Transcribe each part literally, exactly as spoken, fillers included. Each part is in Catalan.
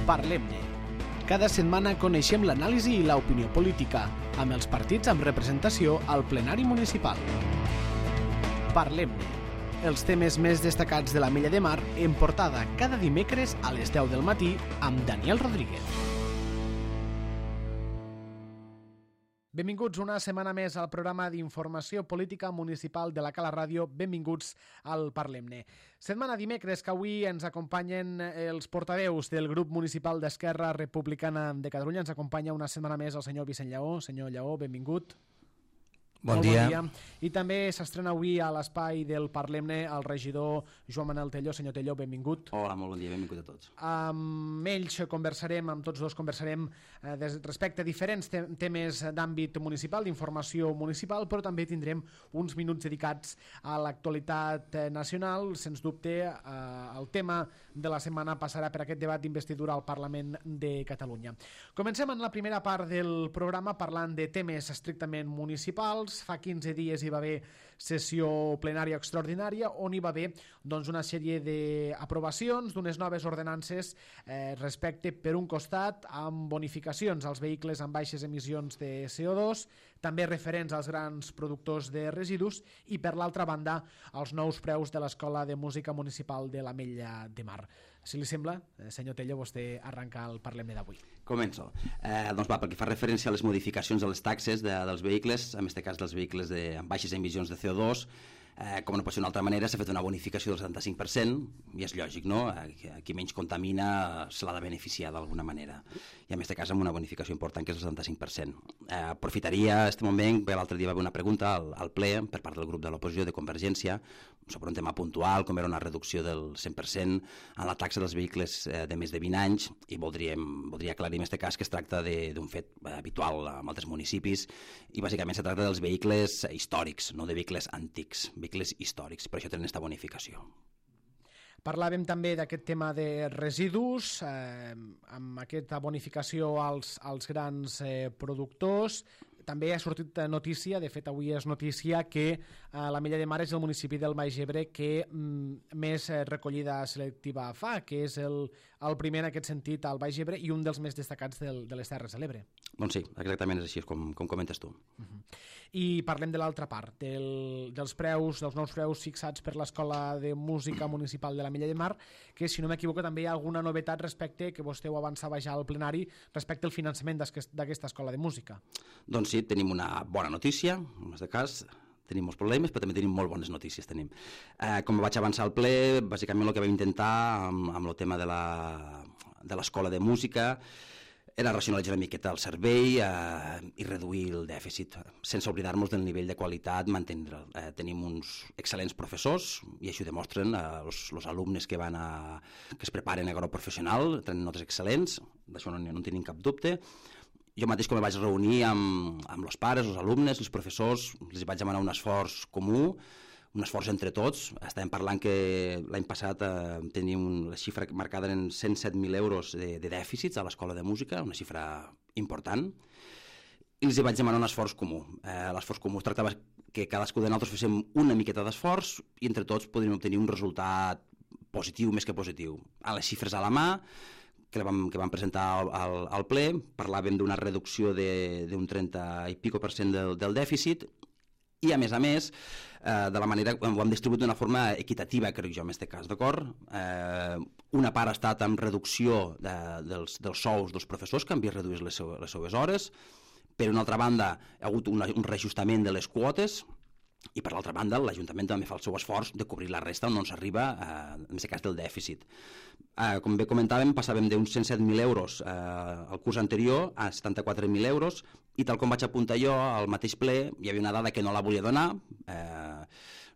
Parlem-ne. Cada setmana coneixem l'anàlisi i l'opinió política, amb els partits amb representació al plenari municipal. Parlem-ne. Els temes més destacats de l'Ametlla de Mar en portada cada dimecres a les deu del matí amb Daniel Rodríguez. Benvinguts una setmana més al programa d'informació política municipal de la Cala Ràdio. Benvinguts al Parlem-ne. Setmana dimecres que avui ens acompanyen els portaveus del grup municipal d'Esquerra Republicana de Catalunya. Ens acompanya una setmana més el senyor Vicent Lleó. Senyor Lleó, benvingut. Bon dia. bon dia. I també s'estrena avui a l'espai del Parlem-ne el regidor Joan Manel Tello. Senyor Tello, benvingut. Hola, molt bon dia, benvingut a tots. Amb ells conversarem, amb tots dos conversarem eh, des, respecte a diferents te temes d'àmbit municipal, d'informació municipal, però també tindrem uns minuts dedicats a l'actualitat eh, nacional. Sens dubte, eh, el tema de la setmana passarà per aquest debat d'investidura al Parlament de Catalunya. Comencem en la primera part del programa parlant de temes estrictament municipals. Fa quinze dies hi va haver sessió plenària extraordinària on hi va haver doncs, una sèrie d'aprovacions d'unes noves ordenances eh, respecte, per un costat, amb bonificacions als vehicles amb baixes emissions de C O dos, també referents als grans productors de residus i, per l'altra banda, els nous preus de l'Escola de Música Municipal de l'Ametlla de Mar. Si li sembla, senyor Tello, vostè arrenca el Parlem-ne d'avui. Començo. Eh, doncs va, pel que fa referència a les modificacions de les taxes de, dels vehicles, en aquest cas dels vehicles de, amb baixes emissions de C O dos, eh, com no pot ser d'una altra manera, s'ha fet una bonificació del setanta-cinc per cent, i és lògic, no? Eh, qui menys contamina se l'ha de beneficiar d'alguna manera. I en aquest cas amb una bonificació important, que és el setanta-cinc per cent. Eh, aprofitaria aquest moment, bé, l'altre dia va haver una pregunta al, al ple per part del grup de l'oposició de Convergència sobre un tema puntual, com era una reducció del cent per cent en la taxa dels vehicles eh, de més de vint anys, i voldríem, voldria aclarir en aquest cas que es tracta d'un fet eh, habitual en altres municipis, i bàsicament se tracta dels vehicles històrics, no de vehicles antics, vehicles històrics, per això tenen aquesta bonificació. Parlàvem també d'aquest tema de residus, eh, amb aquesta bonificació als, als grans eh, productors. També ha sortit notícia, de fet avui és notícia, que eh, l'Ametlla de Mar és el municipi del Baix Ebre que mm, més eh, recollida selectiva fa, que és el, el primer en aquest sentit al Baix Ebre i un dels més destacats del, de les Terres de l'Ebre. Doncs sí, exactament és així, com, com comentes tu. Uh-huh. I parlem de l'altra part, del, dels preus, dels nous preus fixats per l'Escola de Música Municipal de l'Ametlla de Mar, que, si no m'equivoco, també hi ha alguna novetat respecte, que vostè ho avançava ja al plenari, respecte al finançament d'aquesta Escola de Música. Doncs sí, tenim una bona notícia, en aquest cas tenim molts problemes, però també tenim molt bones notícies. Tenim. Eh, com vaig avançar al ple, bàsicament el que vam intentar amb, amb el tema de l'Escola de, de Música era racionalitzar una miqueta el servei eh, i reduir el dèficit, sense oblidar-nos del nivell de qualitat, mantenre'l. Eh, tenim uns excel·lents professors, i això ho demostren eh, els alumnes que, van a, que es preparen a grau professional, tenen notes excel·lents, d'això no, no en tenim cap dubte. Jo mateix, com em vaig reunir amb, amb els pares, els alumnes, els professors, els vaig demanar un esforç comú, un esforç entre tots. Estàvem parlant que l'any passat eh, teníem la xifra marcada en cent set mil euros de, de dèficits a l'Escola de Música, una xifra important, i els vaig demanar un esforç comú. Eh, l'esforç comú es tractava que cadascú de nosaltres féssim una miqueta d'esforç i entre tots podríem obtenir un resultat positiu, més que positiu. A les xifres a la mà, que vam, que vam presentar al, al, al ple, parlàvem d'una reducció d'un trenta i pico per cent del, del dèficit, i a més a més, eh, de la manera, ho hem distribuït d'una forma equitativa, crec jo, en aquest cas, d'acord? Eh, una part ha estat amb reducció de, dels, dels sous dels professors, que han vist reduir les, seu, les seves hores. Per una altra banda, hi ha hagut una, un reajustament de les quotes, i per l'altra banda l'Ajuntament també fa el seu esforç de cobrir la resta on no s'arriba, eh, en aquest cas del dèficit. Eh, com bé comentàvem, passàvem d'uns cent set mil euros eh, al curs anterior a setanta-quatre mil euros, i tal com vaig apuntar jo al mateix ple, hi havia una dada que no la volia donar, eh,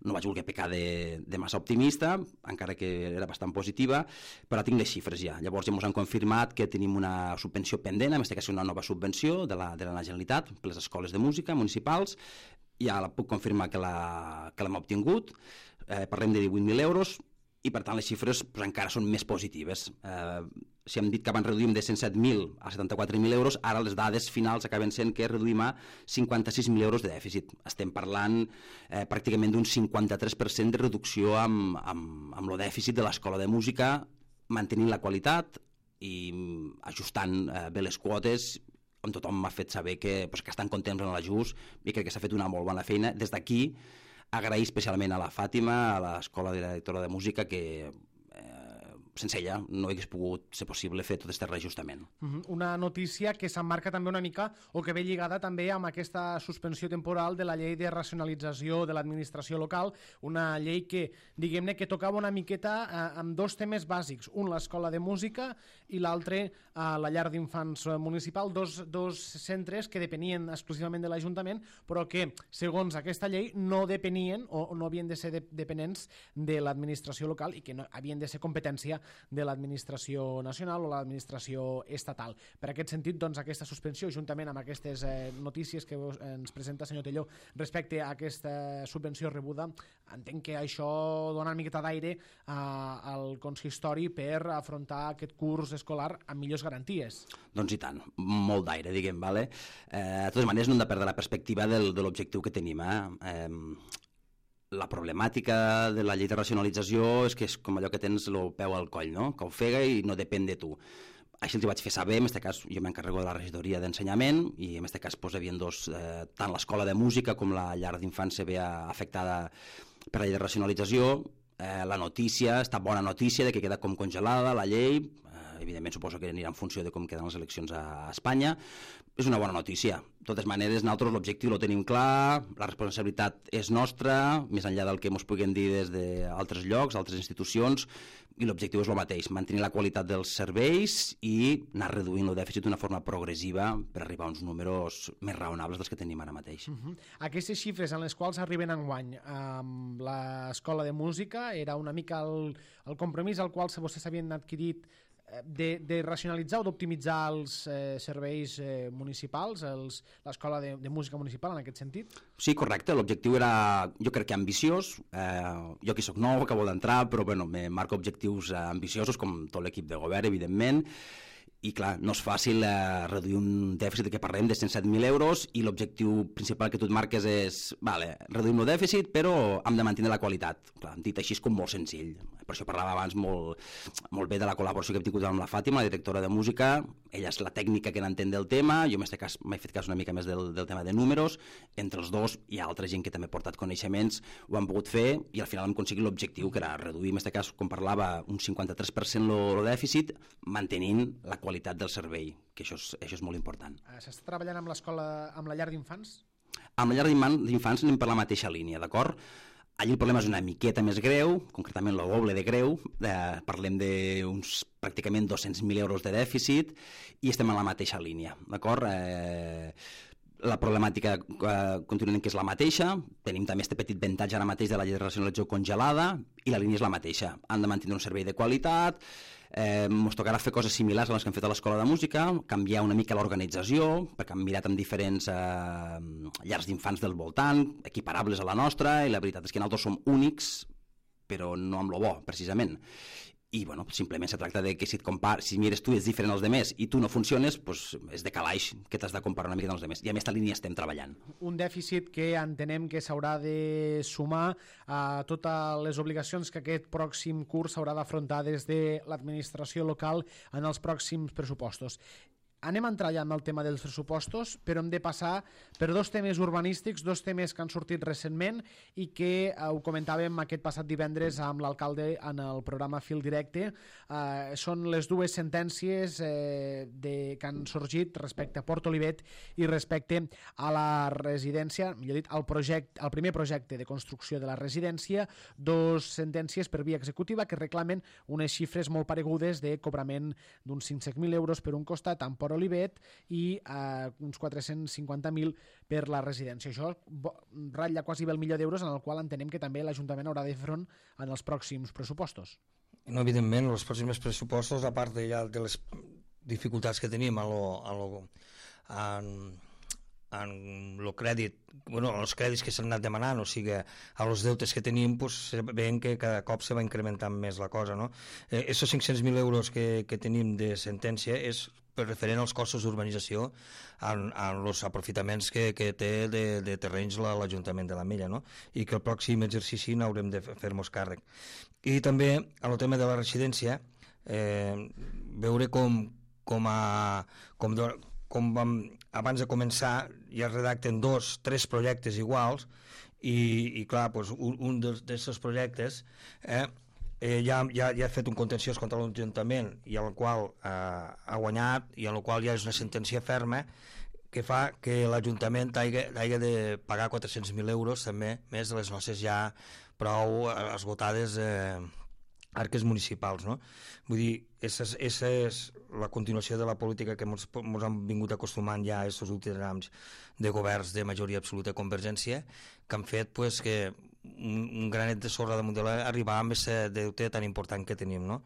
no vaig voler pecar de, de massa optimista, encara que era bastant positiva, però tinc les xifres ja. Llavors ja ens han confirmat que tenim una subvenció pendent, en aquest cas una nova subvenció de la, de la Generalitat per les escoles de música municipals. Ja la puc confirmar que l'hem obtingut, eh, parlem de divuit mil euros, i per tant les xifres pues, encara són més positives. Eh, si hem dit que abans reduïm de cent set mil a setanta-quatre mil euros, ara les dades finals acaben sent que reduïm a cinquanta-sis mil euros de dèficit. Estem parlant eh, pràcticament d'un cinquanta-tres per cent de reducció amb, amb, amb el dèficit de l'Escola de Música, mantenint la qualitat, i ajustant eh, bé les quotes, on tothom m'ha fet saber que, pues, que estan contents en l'ajust i crec que s'ha fet una molt bona feina. Des d'aquí, agrair especialment a la Fàtima, a l'escola directora de música, que sense ella no hagués pogut ser possible fer tot aquest reajustament. Una notícia que s'emmarca també una mica o que ve lligada també amb aquesta suspensió temporal de la llei de racionalització de l'administració local, una llei que, diguem-ne, que tocava una miqueta eh, amb dos temes bàsics, un l'escola de música i l'altre eh, la llar d'infants municipal, dos, dos centres que depenien exclusivament de l'Ajuntament, però que, segons aquesta llei, no depenien o no havien de ser de, dependents de l'administració local i que no, havien de ser competència de l'administració nacional o l'administració estatal. Per aquest sentit, doncs, aquesta suspensió, juntament amb aquestes eh, notícies que ens presenta senyor Telló respecte a aquesta subvenció rebuda, entenc que això dona una miqueta d'aire eh, al consistori per afrontar aquest curs escolar amb millors garanties. Doncs i tant, molt d'aire, diguem, vale? Eh, de totes maneres, no hem de perdre la perspectiva del, de l'objectiu que tenim, eh? eh La problemàtica de la llei de racionalització és que és com allò que tens el peu al coll, no? Que ofega i no depèn de tu. Així els hi vaig fer saber, en aquest cas jo m'encarrego de la regidoria d'ensenyament i en aquest cas pues, hi havia dos, eh, tant l'escola de música com la llar d'infants se veia afectada per la llei de racionalització. Eh, la notícia, està bona notícia de que queda com congelada la llei, eh, evidentment suposo que anirà en funció de com queden les eleccions a Espanya. És una bona notícia. De totes maneres, nosaltres l'objectiu lo tenim clar, la responsabilitat és nostra, més enllà del que ens puguin dir des d'altres llocs, altres institucions, i l'objectiu és el mateix, mantenir la qualitat dels serveis i anar reduint el dèficit d'una forma progressiva per arribar a uns números més raonables dels que tenim ara mateix. Uh-huh. Aquestes xifres en les quals arriben enguany amb l'escola de música era una mica el, el compromís al qual vostès havien adquirit de, de racionalitzar o d'optimitzar els eh, serveis eh, municipals, els, l'escola de, de música municipal en aquest sentit? Sí, correcte, l'objectiu era, jo crec que ambiciós, eh, jo que soc nou, acabo d'entrar, però bueno, me marco objectius eh, ambiciosos com tot l'equip de govern, evidentment, i clar, no és fàcil eh, reduir un dèficit de què parlem de cent set mil euros i l'objectiu principal que tu et marques és vale, reduïm el dèficit però hem de mantenir la qualitat. Clar, dit així és com molt senzill. Per això parlava abans molt, molt bé de la col·laboració que hem tingut amb la Fàtima, la directora de música. Ella és la tècnica que n'entén del tema, jo en aquest cas m'he fet cas una mica més del, del tema de números. Entre els dos hi ha altra gent que també ha portat coneixements, ho han pogut fer i al final hem aconseguit l'objectiu que era reduir, en aquest cas, com parlava, un cinquanta-tres per cent el dèficit, mantenint la qualitat del servei, que això és, això és molt important. S'està treballant amb l'escola, amb la llar d'infants? Amb la llar d'infants anem per la mateixa línia, d'acord? Allí el problema és una miqueta més greu, concretament el doble de greu, eh, parlem d'uns pràcticament dos-cents mil euros de dèficit i estem en la mateixa línia, d'acord? Eh, la problemàtica eh, continuem que és la mateixa, tenim també aquest petit avantatge ara mateix de la llei de racionalització congelada i la línia és la mateixa, han de mantenir un servei de qualitat, eh, ens tocarà fer coses similars a les que hem fet a l'escola de música, canviar una mica l'organització, perquè hem mirat amb diferents eh, llars d'infants del voltant, equiparables a la nostra, i la veritat és que nosaltres som únics, però no amb lo bo, precisament. I bueno, simplement se tracta de que si et compar, si mires tu i ets diferent als demés i tu no funciones, pues és de calaix que t'has de comparar una mica amb els demés. I a aquesta línia estem treballant. Un dèficit que entenem que s'haurà de sumar a totes les obligacions que aquest pròxim curs s'haurà d'afrontar des de l'administració local en els pròxims pressupostos. Anem a entrar ja en el tema dels pressupostos, però hem de passar per dos temes urbanístics, dos temes que han sortit recentment i que eh, ho comentàvem aquest passat divendres amb l'alcalde en el programa Fil Directe. Eh, són les dues sentències eh, de, que han sorgit respecte a Port Olivet i respecte a la residència, millor dit, al projecte, al primer projecte de construcció de la residència, dos sentències per via executiva que reclamen unes xifres molt paregudes de cobrament d'uns cinc-cents mil euros per un costat amb Port Olivet i eh, uns quatre-cents cinquanta mil per la residència. Això ratlla quasi bé el milió d'euros en el qual entenem que també l'Ajuntament haurà de fer front en els pròxims pressupostos. No, evidentment, els pròxims pressupostos, a part de, ja, de les dificultats que tenim a lo, a lo, en, en el crèdit, bueno, els crèdits que s'han anat demanant, o sigui, a els deutes que tenim, pues, veiem que cada cop se va incrementant més la cosa, no? Eh, esos cinc-cents mil euros que, que tenim de sentència és per referent als costos d'urbanització en, en els aprofitaments que, que té de, de terrenys l'Ajuntament de l'Ametlla, no? I que el pròxim exercici n'haurem de fer-nos càrrec. I també, en el tema de la residència, eh, veure com, com, a, com, do, com vam, abans de començar ja redacten dos, tres projectes iguals i, i clar, doncs, un, un d'aquests projectes eh, eh, ja, ja, ja ha fet un contenciós contra l'Ajuntament i el qual eh, ha guanyat i en el qual ja és una sentència ferma que fa que l'Ajuntament hagi, hagi de pagar quatre-cents mil euros també, més de les nostres ja prou esgotades eh, arques municipals, no? Vull dir, esa és la continuació de la política que ens han vingut acostumant ja aquests últims anys de governs de majoria absoluta Convergència, que han fet pues, que un, un granet de sorra damunt de l'arribar amb aquest deute tan important que tenim, no?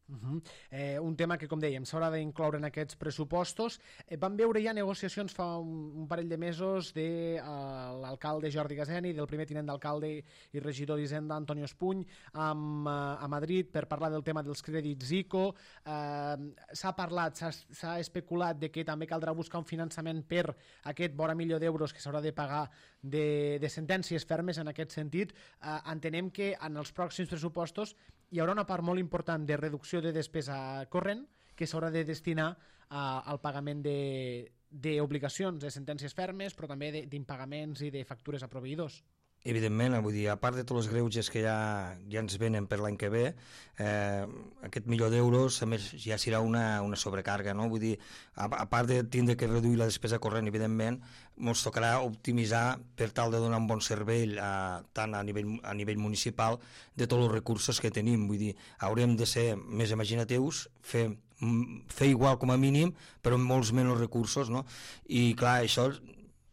Uh -huh. eh, un tema que, com dèiem, s'haurà d'incloure en aquests pressupostos. Eh, vam veure ja negociacions fa un, un parell de mesos de uh, l'alcalde Jordi Gaseni, del primer tinent d'alcalde i regidor d'Hisenda Antonio Espuny amb, uh, a Madrid per parlar del tema dels crèdits ICO. Uh, s'ha parlat, s'ha especulat de que també caldrà buscar un finançament per aquest vora milió d'euros que s'haurà de pagar de, de sentències fermes en aquest sentit. Uh, entenem que en els pròxims pressupostos hi haurà una part molt important de reducció de despesa corrent que s'haurà de destinar a, al pagament d'obligacions, de, de sentències fermes, però també d'impagaments i de factures a proveïdors. Evidentment, vull dir, a part de tots els greuges que ja, ja ens venen per l'any que ve, eh, aquest milió d'euros a més ja serà una, una sobrecàrrega, no? Vull dir, a, a part de tindre que reduir la despesa corrent, evidentment, ens tocarà optimitzar per tal de donar un bon servei a, tant a nivell, a nivell municipal de tots els recursos que tenim. Vull dir, haurem de ser més imaginatius, fer, fer igual com a mínim, però amb molts menys recursos, no? I clar, això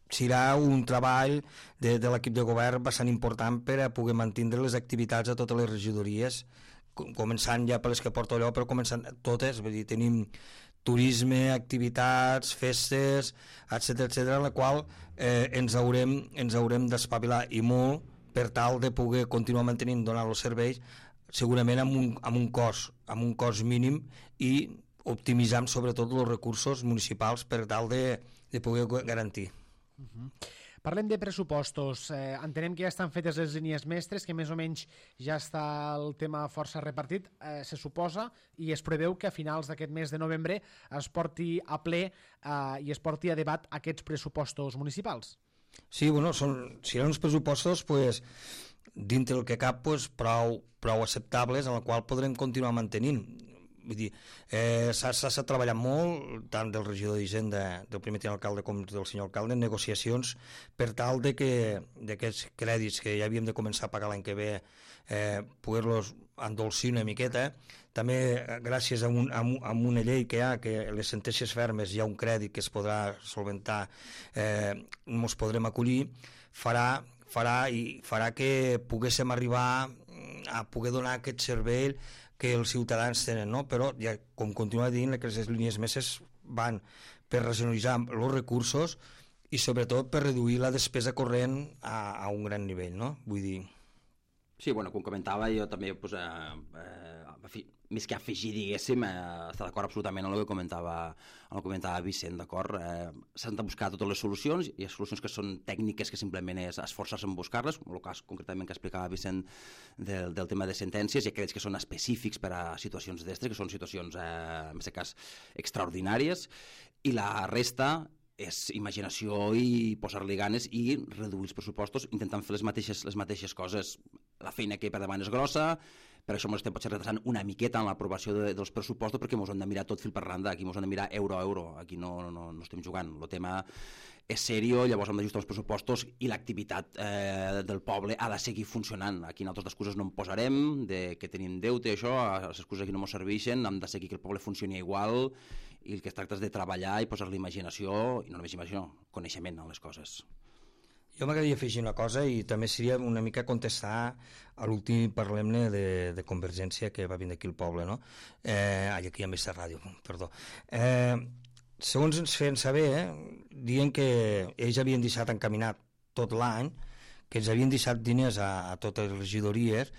serà un treball de, de l'equip de govern bastant important per a poder mantenir les activitats a totes les regidories, començant ja per les que porto allò, però començant totes, vull dir, tenim turisme, activitats, festes, etcètera, etcètera, en la qual eh, ens haurem, ens haurem d'espavilar i molt per tal de poder continuar mantenint, donar els serveis, segurament amb un, amb un cost, amb un cost mínim i optimitzant sobretot els recursos municipals per tal de, de poder garantir. Uh-huh. Parlem de pressupostos. Eh, entenem que ja estan fetes les línies mestres, que més o menys ja està el tema força repartit, eh, se suposa, i es preveu que a finals d'aquest mes de novembre es porti a ple eh, i es porti a debat aquests pressupostos municipals. Sí, bueno, són, seran uns pressupostos pues, dintre el que cap pues, prou, prou acceptables en el qual podrem continuar mantenint. Vull dir, eh, s'ha treballat molt, tant del regidor d'Hisenda, del primer tinent alcalde com del senyor alcalde, en negociacions per tal de que d'aquests crèdits que ja havíem de començar a pagar l'any que ve, eh, poder-los endolcir una miqueta. També, gràcies a, un, a, un, a una llei que hi ha, que les sentències fermes hi ha un crèdit que es podrà solventar, eh, ens podrem acollir, farà, farà, i farà que poguéssim arribar a poder donar aquest servei que els ciutadans tenen, no? Però ja, com continua dient, que les línies mestres van per racionalitzar els recursos i sobretot per reduir la despesa corrent a, a un gran nivell, no? Vull dir... Sí, bueno, com comentava, jo també, pues, eh, eh, més que afegir, diguéssim, eh, està d'acord absolutament amb el que comentava, amb el que comentava Vicent, d'acord? Eh, S'han de buscar totes les solucions, i hi ha solucions que són tècniques que simplement és esforçar-se en buscar-les, el cas concretament que explicava Vicent del, del tema de sentències, i aquells que són específics per a situacions d'estres, que són situacions, eh, en aquest cas, extraordinàries, i la resta és imaginació i posar-li ganes i reduir els pressupostos intentant fer les mateixes, les mateixes coses. La feina que per davant és grossa, per això ens estem potser retrasant una miqueta en l'aprovació de, dels pressupostos, perquè ens hem de mirar tot fil per randa, aquí ens hem de mirar euro a euro, aquí no, no, no estem jugant. El tema és seriós, llavors hem d'ajustar els pressupostos i l'activitat eh, del poble ha de seguir funcionant. Aquí nosaltres d'excuses no en posarem, de que tenim deute, això, les excuses aquí no ens serveixen, hem de seguir que el poble funcioni igual, i el que es tracta és de treballar i posar-li imaginació, i no només imaginació, coneixement en les coses. Jo m'agradaria afegir una cosa i també seria una mica contestar a l'últim parlemne de, de Convergència que va vindre aquí al poble, no? Eh, ai, aquí hi ha més ràdio, perdó. Eh, segons ens feien saber, eh, dient que ells havien deixat encaminat tot l'any, que ens havien deixat diners a, a totes les regidories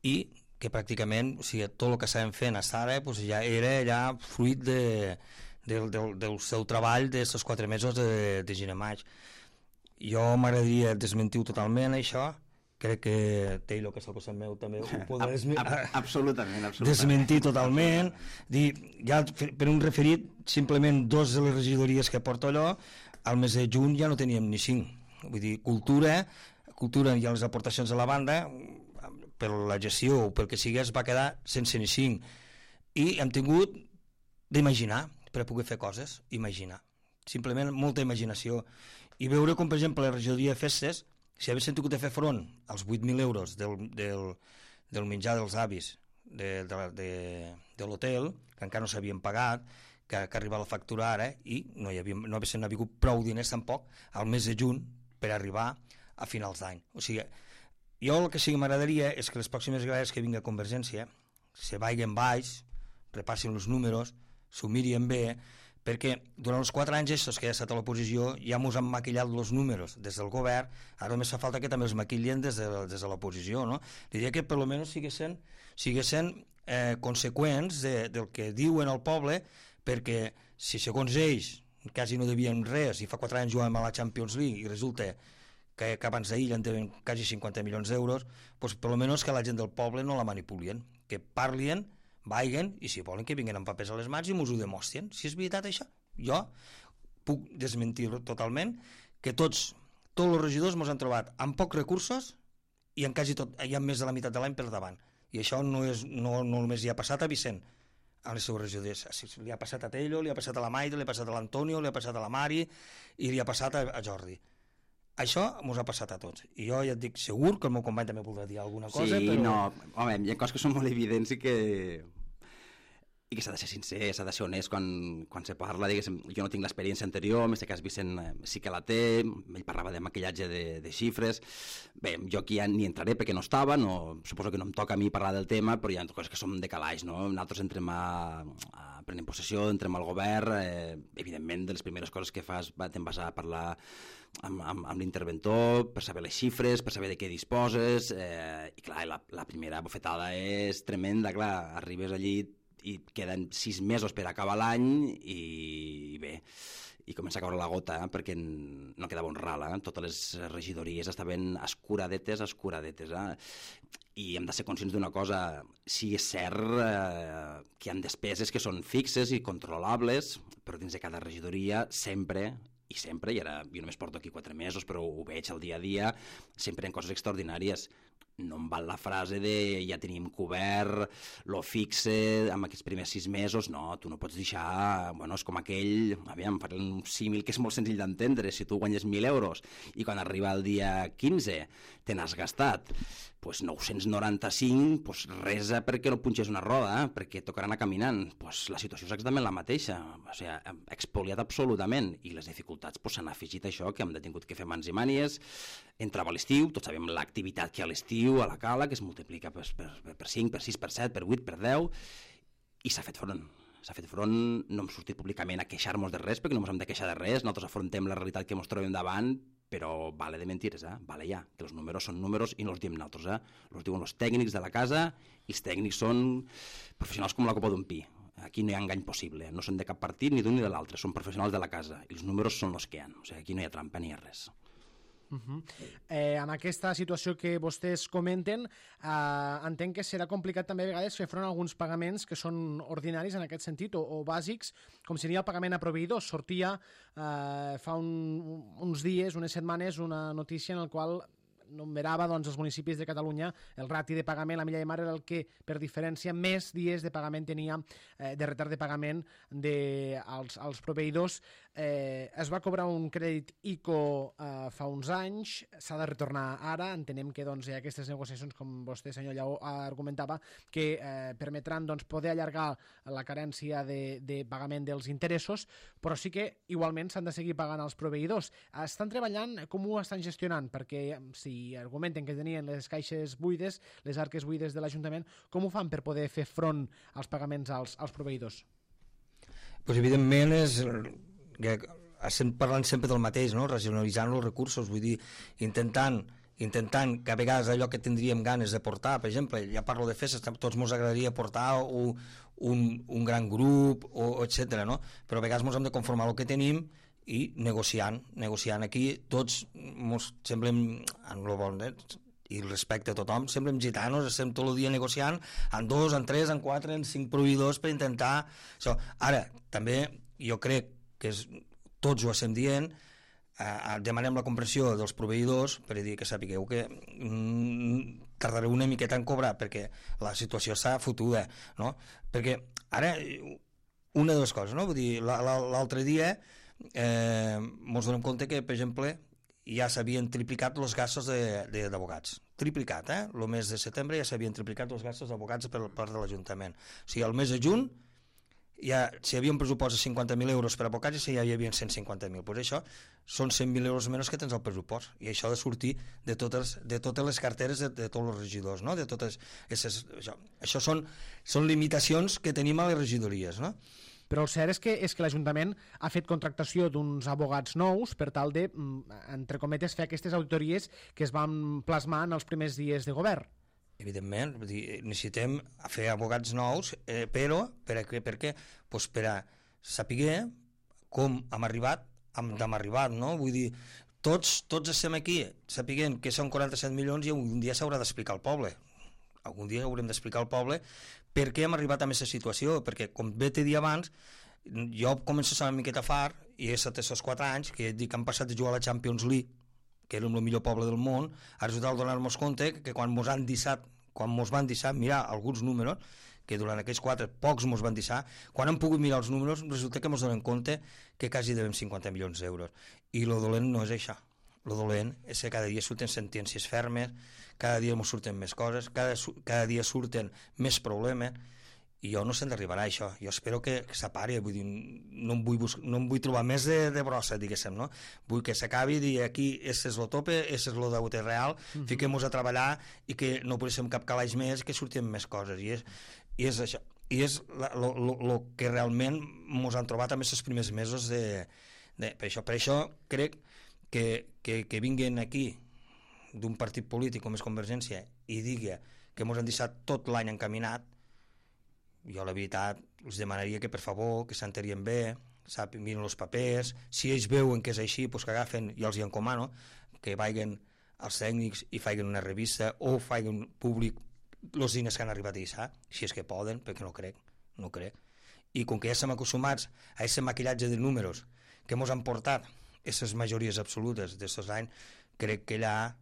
i que pràcticament, o sigui, tot el que estàvem fent fins ara pues, ja era ja fruit de, de, de, del seu treball d'aquests quatre mesos de, de gener maig. Jo m'agradaria desmentir totalment això, crec que Taylor, que és al costat meu, també ho pot desmi... absolutament, absolutament. desmentir totalment. Dir, ja per un referit, simplement dos de les regidories que porto allò, al mes de juny ja no teníem ni cinc. Vull dir, cultura, cultura i les aportacions de la banda, per la gestió o pel que sigui, es va quedar sense ni cinc. I hem tingut d'imaginar, per a poder fer coses, imaginar. Simplement molta imaginació. I veure com, per exemple, la regidoria de festes, si haguessin tingut de fer front als vuit mil euros del, del, del menjar dels avis de, de, de, de l'hotel, que encara no s'havien pagat, que, que arribava la factura ara, i no hi havia, no haguessin hagut prou diners tampoc al mes de juny per arribar a finals d'any. O sigui, jo el que sí que m'agradaria és que les pròximes vegades que vingui a Convergència se vagin baix, repassin els números, s'ho mirin bé, perquè durant els quatre anys estos que ja ha estat a l'oposició ja mos han maquillat els números des del govern, ara només fa falta que també els maquillen des de, des de l'oposició, no? Diria que per almenys siguessin, siguessin eh, conseqüents de, del que diuen al poble, perquè si segons ells quasi no devien res i fa quatre anys jugàvem a la Champions League i resulta que, que abans d'ahir ja en deuen quasi cinquanta milions d'euros, doncs per almenys que la gent del poble no la manipulien, que parlin, vagin, i si volen que vinguin amb papers a les mans i mos ho demostren. Si és veritat això, jo puc desmentir totalment que tots, tots els regidors mos han trobat amb pocs recursos i en quasi tot, hi ha més de la meitat de l'any per davant. I això no, és, no, no només hi ha passat a Vicent, a les seves regidors. Li ha passat a Tello, li ha passat a la Maida, li ha passat a l'Antonio, li ha passat a la Mari i li ha passat a, a Jordi. Això mos ha passat a tots. I jo ja et dic, segur que el meu company també voldrà dir alguna cosa, sí, però... Sí, no, home, hi ha coses que són molt evidents i que... i que s'ha de ser sincer, s'ha de ser honest quan, quan se parla, diguéssim, jo no tinc l'experiència anterior, en aquest cas Vicent sí que la té, ell parlava de maquillatge de, de xifres, bé, jo aquí ja ni entraré perquè no estava, no, suposo que no em toca a mi parlar del tema, però hi ha coses que són de calaix, no? Nosaltres entrem a, a prendre possessió, entrem al govern, eh, evidentment de les primeres coses que fas te'n vas a parlar amb, amb, amb l'interventor per saber les xifres, per saber de què disposes, eh, i clar, la, la primera bofetada és tremenda, clar, arribes allí i queden sis mesos per acabar l'any i, i bé, i comença a caure la gota, eh, perquè no quedava un ral, eh? Totes les regidories estaven escuradetes, escuradetes, eh? I hem de ser conscients d'una cosa, sí és cert eh, que hi ha despeses que són fixes i controlables, però dins de cada regidoria sempre, i sempre, i ara jo només porto aquí quatre mesos, però ho veig al dia a dia, sempre en coses extraordinàries. No em val la frase de ja tenim cobert, lo fixe amb aquests primers sis mesos, no, tu no pots deixar, bueno, és com aquell, aviam, faré un símil que és molt senzill d'entendre, si tu guanyes mil euros i quan arriba el dia quinze te n'has gastat pues nou-cents noranta-cinc, pues resa perquè no punxes una roda, eh? Perquè tocarà anar caminant. Pues la situació és exactament la mateixa, o sigui, expoliat absolutament, i les dificultats pues, s'han afegit això, que hem tingut que fer mans i mànies, entrava l'estiu, tots sabem l'activitat que hi ha a l'estiu, a la cala, que es multiplica per, per, per cinc, per sis, per set, per vuit, per deu, i s'ha fet front. S'ha fet front, no hem sortit públicament a queixar-nos de res, perquè no ens hem de queixar de res, nosaltres afrontem la realitat que ens trobem davant, però vale de mentires, eh? Vale ja, que els números són números i no els diem nosaltres, eh? Els diuen els tècnics de la casa i els tècnics són professionals com la copa d'un pi. Aquí no hi ha engany possible, no són de cap partit ni d'un ni de l'altre, són professionals de la casa i els números són els que hi ha, o sigui, aquí no hi ha trampa ni hi ha res. Uh -huh. eh, amb aquesta situació que vostès comenten, eh, entenc que serà complicat també a vegades fer front a alguns pagaments que són ordinaris en aquest sentit o, o bàsics, com seria el pagament a proveïdors. Sortia eh, fa un, uns dies, unes setmanes, una notícia en la qual numerava doncs, els municipis de Catalunya el rati de pagament, la milla de mar era el que per diferència més dies de pagament tenia eh, de retard de pagament de, als, als proveïdors. Eh, es va cobrar un crèdit I C O eh, fa uns anys, s'ha de retornar ara, entenem que doncs, hi ha aquestes negociacions, com vostè, senyor Lleó, argumentava, que eh, permetran doncs, poder allargar la carència de, de pagament dels interessos, però sí que igualment s'han de seguir pagant als proveïdors. Estan treballant, com ho estan gestionant? Perquè si argumenten que tenien les caixes buides, les arques buides de l'Ajuntament, com ho fan per poder fer front als pagaments als, als proveïdors? Pues evidentment és... que estem parlant sempre del mateix, no? Racionalitzant els recursos, vull dir, intentant intentant que a vegades allò que tindríem ganes de portar, per exemple, ja parlo de festes, tots ens agradaria portar un, un, un gran grup, o, etcètera, no? Però a vegades ens hem de conformar el que tenim i negociant, negociant aquí, tots ens semblem, en el bon, eh? i el respecte a tothom, semblem gitanos, estem tot el dia negociant en dos, en tres, en quatre, en cinc proveïdors per intentar això. Ara, també jo crec que és, tots ho estem dient, eh, demanem la comprensió dels proveïdors per dir que sapigueu que mm, tardareu una miqueta en cobrar perquè la situació està fotuda, no? Perquè ara, una de les coses, no? Vull dir, l'altre dia eh, ens donem compte que, per exemple, ja s'havien triplicat els gastos d'advocats. Triplicat, eh? El mes de setembre ja s'havien triplicat els gastos d'advocats per part de l'Ajuntament. O sigui, el mes de juny, ja, si hi havia un pressupost de cinquanta mil euros per advocats, ja hi havia cent cinquanta mil. Pues això són cent mil euros menys que tens al pressupost. I això ha de sortir de totes, de totes les carteres de, de tots els regidors, no? De totes aquestes, això això són, són limitacions que tenim a les regidories, no? Però el cert és que, és que l'Ajuntament ha fet contractació d'uns abogats nous per tal de, entre cometes, fer aquestes auditories que es van plasmar en els primers dies de govern. Evidentment, necessitem fer abogats nous, eh, però per a, per què? Pues per a saber com hem arribat, hem arribat, no? Vull dir, tots, tots estem aquí sapiguent que són quaranta-set milions i un dia s'haurà d'explicar al poble. Algun dia haurem d'explicar al poble per què hem arribat a aquesta situació, perquè, com bé t'he dit abans, jo començo a ser una miqueta fart, i he estat aquests quatre anys que dic que han passat de jugar a la Champions League, que érem el millor poble del món, a resultat de donar-nos compte que quan mos han deixat, quan mos van deixar mirar alguns números, que durant aquells quatre pocs mos van deixar, quan hem pogut mirar els números, resulta que mos donem compte que quasi devem cinquanta milions d'euros. I lo dolent no és això. Lo dolent és que cada dia surten sentències fermes, cada dia ens surten més coses, cada, cada dia surten més problemes, i jo no sé d'arribarà a això. Jo espero que, que s'apari, vull dir, no em vull, no em vull trobar més de, de brossa, diguéssim, no? Vull que s'acabi i dir aquí, és el tope, és el deute real, uh-huh. Fiquem-nos a treballar i que no posem cap calaix més, que surtin més coses, i és, i és això. I és el que realment ens han trobat en aquests primers mesos de, de, per això. Per això crec que, que, que vinguin aquí d'un partit polític com és Convergència i digui que ens han deixat tot l'any encaminat, jo la veritat els demanaria que per favor que s'enterien bé, sap, miren els papers, si ells veuen que és així, pues que agafen, jo els hi encomano que vagin als tècnics i facin una revista o facin públic els diners que han arribat a deixar, si és que poden, perquè no crec, no crec. I com que ja estem acostumats a aquest maquillatge de números que ens han portat aquestes majories absolutes d'estos anys, crec que allà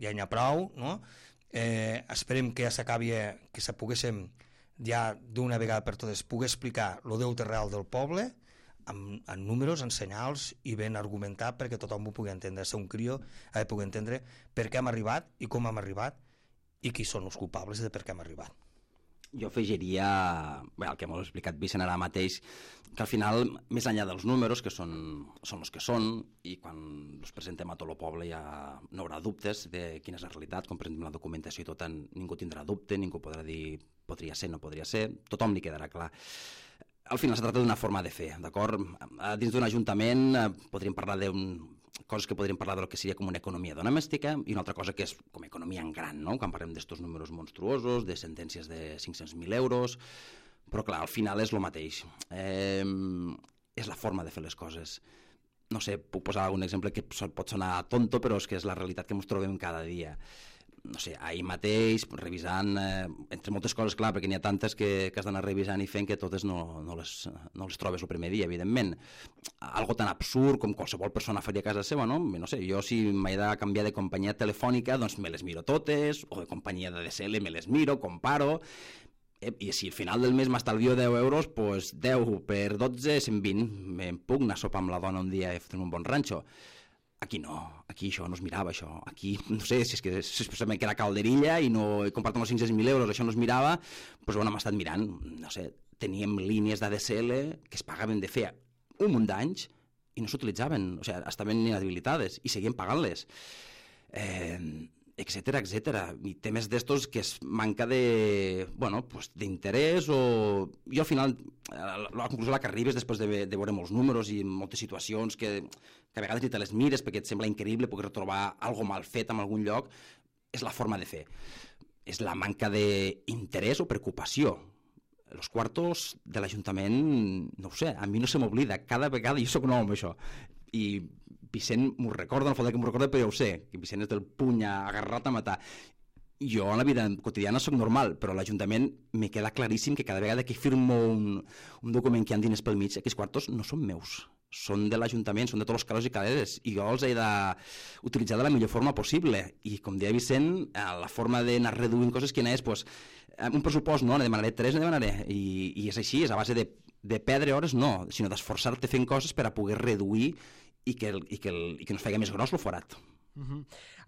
ja n'hi ha prou, no? Eh, esperem que ja s'acabi, que se poguéssim ja d'una vegada per totes poder explicar el deute real del poble amb, amb números, en senyals i ben argumentat perquè tothom ho pugui entendre. Ser un crió ha de poder entendre per què hem arribat i com hem arribat i qui són els culpables de per què hem arribat. Jo afegiria, bé, el que m'ho ha explicat Vicent ara mateix, que al final, més enllà dels números, que són, són els que són, i quan els presentem a tot el poble ja no haurà dubtes de quina és la realitat, com presentem la documentació i tot, ningú tindrà dubte, ningú podrà dir podria ser, no podria ser, tothom li quedarà clar. Al final es tracta d'una forma de fer, d'acord? Dins d'un ajuntament podríem parlar d'un coses que podríem parlar del que seria com una economia domèstica i una altra cosa que és com economia en gran, no? Quan parlem d'estos números monstruosos, de sentències de cinc-cents mil euros, però clar, al final és el mateix. Eh, és la forma de fer les coses. No sé, puc posar algun exemple que pot sonar tonto, però és que és la realitat que ens trobem cada dia. No sé, ahir mateix, revisant, eh, entre moltes coses, clar, perquè n'hi ha tantes que, que has d'anar revisant i fent que totes no, no, les, no les trobes el primer dia, evidentment. Algo tan absurd com qualsevol persona faria a casa seva, no? No sé, jo si m'he de canviar de companyia telefònica, doncs me les miro totes, o de companyia de D S L me les miro, comparo, eh, i si al final del mes m'estalvio deu euros, doncs deu per dotze, cent vint. Me'n puc anar a sopar amb la dona un dia i fer un bon ranxo. Aquí no, aquí això no es mirava, això. Aquí, no sé, si és que especialment que era calderilla i no he comprat uns cinc-cents mil euros, això no es mirava, doncs bueno, hem estat mirant, no sé, teníem línies d'A D S L que es pagaven de fer un munt d'anys i no s'utilitzaven, o sigui, estaven inhabilitades i seguien pagant-les. Eh, etcètera, etcètera. I temes d'estos que es manca de, bueno, pues d'interès o... Jo al final, la conclusió a la que arribes després de, de veure molts números i moltes situacions que, que a vegades ni te les mires perquè et sembla increïble poder trobar algo mal fet en algun lloc, és la forma de fer. És la manca d'interès o preocupació. Els quartos de l'Ajuntament, no ho sé, a mi no se m'oblida. Cada vegada, jo soc nou amb això, i Vicent m'ho recorda, no falta que m'ho recorda, però ja ho sé, que Vicent és del puny agarrat a matar. Jo en la vida quotidiana soc normal, però a l'Ajuntament me queda claríssim que cada vegada que firmo un, un document que hi ha diners pel mig, aquests quartos no són meus, són de l'Ajuntament, són de tots els calés i caleres, i jo els he d'utilitzar de la millor forma possible. I com deia Vicent, la forma d'anar reduint coses quina és, pues, un pressupost no, ne demanaré tres, ne demanaré, i, i és així, és a base de, de perdre hores, no, sinó d'esforçar-te fent coses per a poder reduir i que, el, i que, el, i que no es faci més gros el forat. Uh-huh.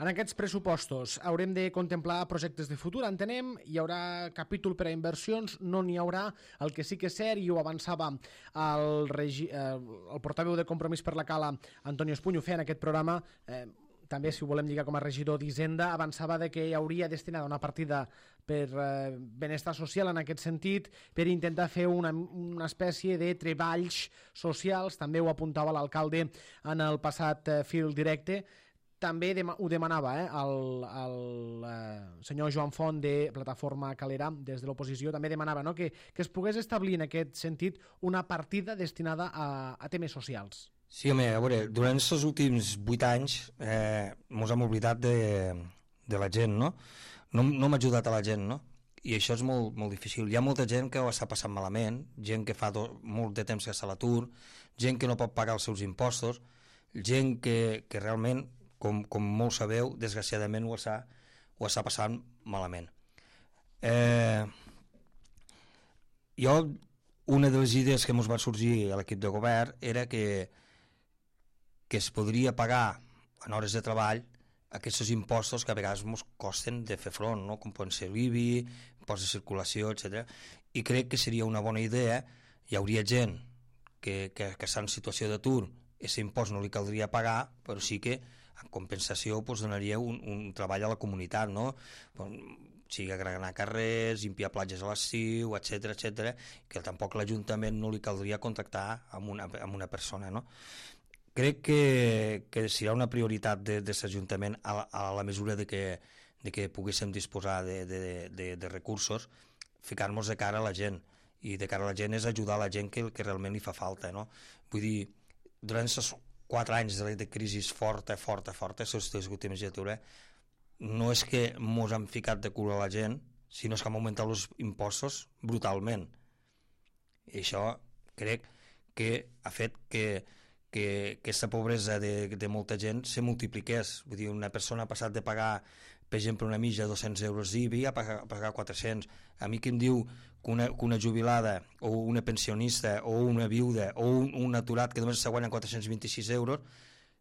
En aquests pressupostos haurem de contemplar projectes de futur, entenem, hi haurà capítol per a inversions, no n'hi haurà. El que sí que és cert, i ho avançava el, regi... eh, el portaveu de Compromís per la Cala, Antonio Espunyo, feia en aquest programa, eh, també si ho volem lligar com a regidor d'Hisenda, avançava de que hi hauria destinada una partida per eh, benestar social en aquest sentit, per intentar fer una, una espècie de treballs socials, també ho apuntava l'alcalde en el passat eh, fil directe. També ho demanava eh, el, el eh, senyor Joan Font de Plataforma Calera, des de l'oposició, també demanava no, que, que es pogués establir en aquest sentit una partida destinada a, a temes socials. Sí, home, a veure, durant els últims vuit anys eh, mos hem oblidat de, de la gent, no? No, no m'ha ajudat a la gent, no? I això és molt, molt difícil. Hi ha molta gent que ho està passant malament, gent que fa do, molt de temps que està a l'atur, gent que no pot pagar els seus impostos, gent que, que realment... Com, com molt sabeu, desgraciadament ho està, ho està passant malament. Eh, jo, una de les idees que ens va sorgir a l'equip de govern era que, que es podria pagar en hores de treball aquests impostos que a vegades ens costen de fer front, no? Com poden ser l'I B I, impost de circulació, etcètera. I crec que seria una bona idea, hi hauria gent que, que, que està en situació d'atur, aquest impost no li caldria pagar, però sí que en compensació pues, donaria un, un treball a la comunitat, no? Sigui agregar carrers, limpiar platges a l'estiu, etcètera, etcètera, que tampoc l'Ajuntament no li caldria contactar amb una, amb una persona, no? Crec que, que serà una prioritat de, de l'Ajuntament a, a la mesura de que, de que poguéssim disposar de, de, de, de recursos, ficar-nos de cara a la gent, i de cara a la gent és ajudar a la gent que, que realment li fa falta, no? Vull dir, durant aquests quatre anys de, de crisi forta, forta, forta, les últimes legislatures, no és que mos han ficat de cul a la gent, sinó que hem augmentat els impostos brutalment. I això crec que ha fet que, que, que aquesta pobresa de, de molta gent se multipliqués. Vull dir, una persona ha passat de pagar, per exemple, una mitja de dos-cents euros d'I B I a pagar, a pagar quatre-cents. A mi que em diu que una, que una jubilada o una pensionista o una viuda o un, un aturat que només se guanya quatre-cents vint-i-sis euros,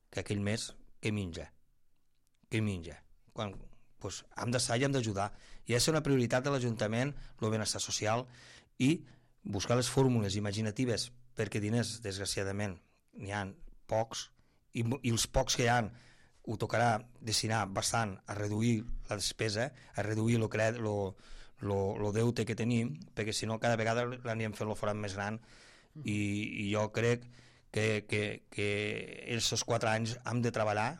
que aquell mes què menja? Què menja? Quan, doncs, hem d'estar i hem d'ajudar. I és una prioritat de l'Ajuntament, el benestar social, i buscar les fórmules imaginatives, perquè diners, desgraciadament, n'hi ha pocs, i, i els pocs que hi ha ho tocarà destinar bastant a reduir la despesa, a reduir el crèdit, lo, lo, lo deute que tenim, perquè si no cada vegada l'anirem fent el forat més gran, i, i jo crec que, que, que aquests quatre anys hem de treballar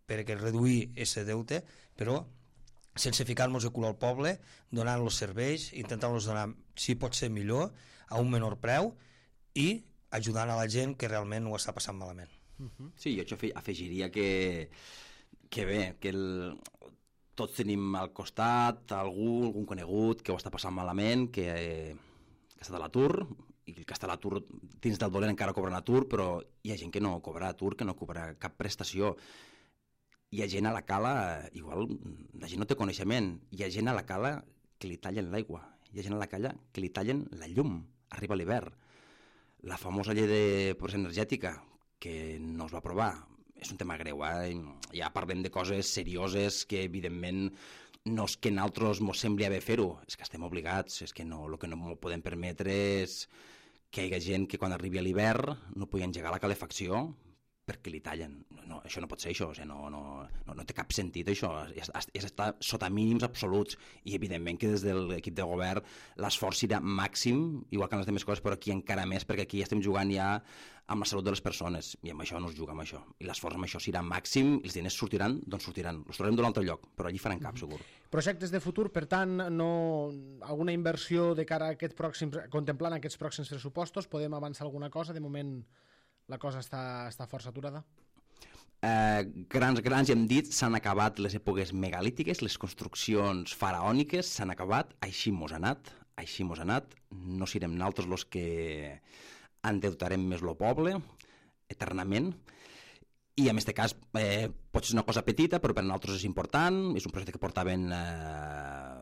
perquè reduir aquest deute, però sense ficar-nos de cul al poble, donant-los serveis, intentant-los donar, si pot ser millor, a un menor preu, i ajudant a la gent que realment ho està passant malament. Sí, jo afegiria que, que bé, que el, tots tenim al costat algú, algun conegut que ho està passant malament, que, que està a l'atur, i que està a l'atur dins del dolent encara cobra l'atur, però hi ha gent que no cobra atur, que no cobra cap prestació. Hi ha gent a la cala, igual la gent no té coneixement, hi ha gent a la cala que li tallen l'aigua, hi ha gent a la cala que li tallen la llum, arriba l'hivern. La famosa llei de pobresa energètica, que no es va aprovar, és un tema greu, eh? Ja parlem de coses serioses que evidentment no és que nosaltres ens sembli haver fer-ho, és que estem obligats, és que no, el que no podem permetre és que hi hagi gent que quan arribi a l'hivern no pugui engegar la calefacció perquè li tallen. No, no, això no pot ser això, o sigui, no, no, no, no té cap sentit això, és, és estar sota mínims absoluts, i evidentment que des de l'equip de govern l'esforç serà màxim, igual que en les altres coses, però aquí encara més, perquè aquí estem jugant ja amb la salut de les persones, i amb això no es juga amb això, i l'esforç amb això serà màxim, i els diners sortiran d'on sortiran, els trobarem d'un altre lloc, però allí faran cap, segur. Projectes de futur, per tant, no, alguna inversió de cara a aquests pròxims, contemplant aquests pròxims pressupostos, podem avançar alguna cosa? De moment la cosa està, està força aturada? eh, grans, grans, hem dit, s'han acabat les èpoques megalítiques, les construccions faraòniques s'han acabat, així mos ha anat, així mos ha anat, no serem nosaltres els que endeutarem més el poble, eternament, i en aquest cas eh, pot ser una cosa petita, però per nosaltres és important, és un projecte que portaven eh,